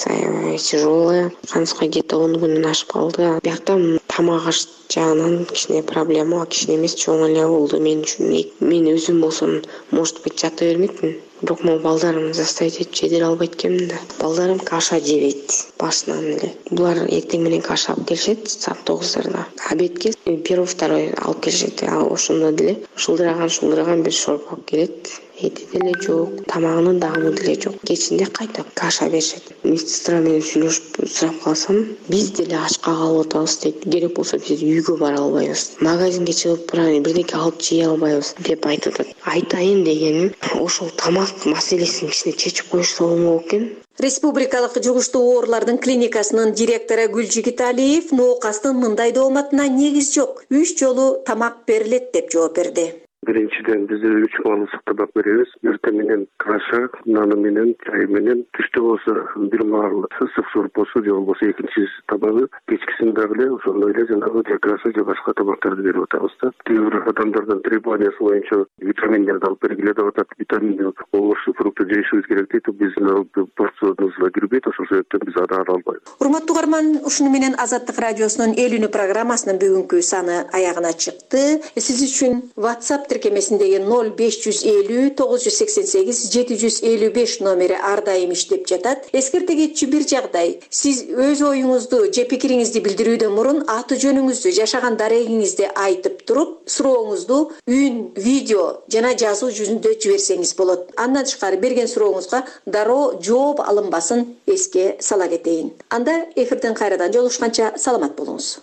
тяжелое, канска где-то он күнүн ашып калды. Биякта тамак аш жагынан кичине проблема, кичине эмес чоң эле болду мен үчүн. Мен өзүм болсом, может быть, жата бермекмин. Бирок могу балдарымды заставить этип жедире албайт экенмин да. Балдарым каша жебейт башынан эле. Булар эртең менен каша алып келишет саат тогуздарда. Обедке первый, второй алып келишет. Ошондо деле шылдыраган шылдыраган бир шорп алып келет. Эти деле жок, тамагынын дагы деле жок. Кечинде кайта каша беришет. Медсестра менен сүйлөшүп сурап калсам, биз деле ачка калып атабыз дейт. Керек болсо биз үйгө бара албайбыз. Магазинге чыгып бирдеке алып жей албайбыз деп айтат. Айтайын дегеним, ошол тамак маселесин кичине чечип коюшса болмок экен. Республикалык жугуштуу оорулардын клиникасынын директору Гүлжигит Алиев ноокастын мындай дооматына негиз жок. Үч жолу тамак берилет деп жооп берди. Биринчиден биз үч маалымат табак беребиз. Эртең менен каша, наны менен, чай менен, түштө болсо бир маал ысык шорп болсо, же болбосо экинчи табагы, кечкисин дагы эле ошондой эле жанагы жакасы же башка табактарды берип атабыз да. Кээ бир адамдардын требованиясы боюнча витаминдерди алып бергиле деп атат. Витаминди овощ, фрукты жешибиз керек дейт. Биздин порциябызга кирбейт, ошол себептен биз ада ала албайбыз. Урматтуу угарман, ушуну менен Азаттык радиосунун элүүнү программасынын бүгүнкү саны аягына чыкты. Сиз үчүн WhatsApp тиркемесиндеги ноль беш жүз элүү тогуз жүз сексен сегиз жети жүз элүү беш номери ар дайым иштеп жатат. Эскерте кетчү бир жагдай: сиз өз оюңузду же пикириңизди билдирүүдөн мурун аты жөнүңүздү, жашаган дарегиңизди айтып туруп, сурооңузду үн, видео жана жазуу жүзүндө жиберсеңиз болот. Андан тышкары берген сурооңузга дароо жооп алынбасын эске сала кетейин. Анда эфирден кайрадан жолугушканча саламат болуңуз.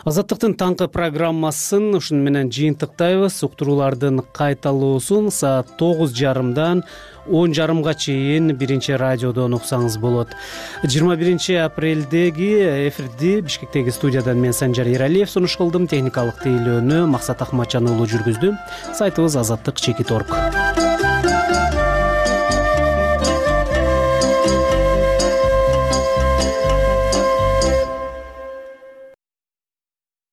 Азаттыктын таңкы программасын ушуну менен жыйынтыктайбыз. Уктуруулардын кайталоосун саат тогуз жарымдан он жарымга чейин биринчи радиодон уксаңыз болот. жыйырма биринчи апрелдеги эфирди Бишкектеги студиядан мен Санжар Эралиев сунуш кылдым. Техникалык тейлөөнү Максат Акматжан уулу жүргүздү. Сайтыбыз азаттык чекит точка орг.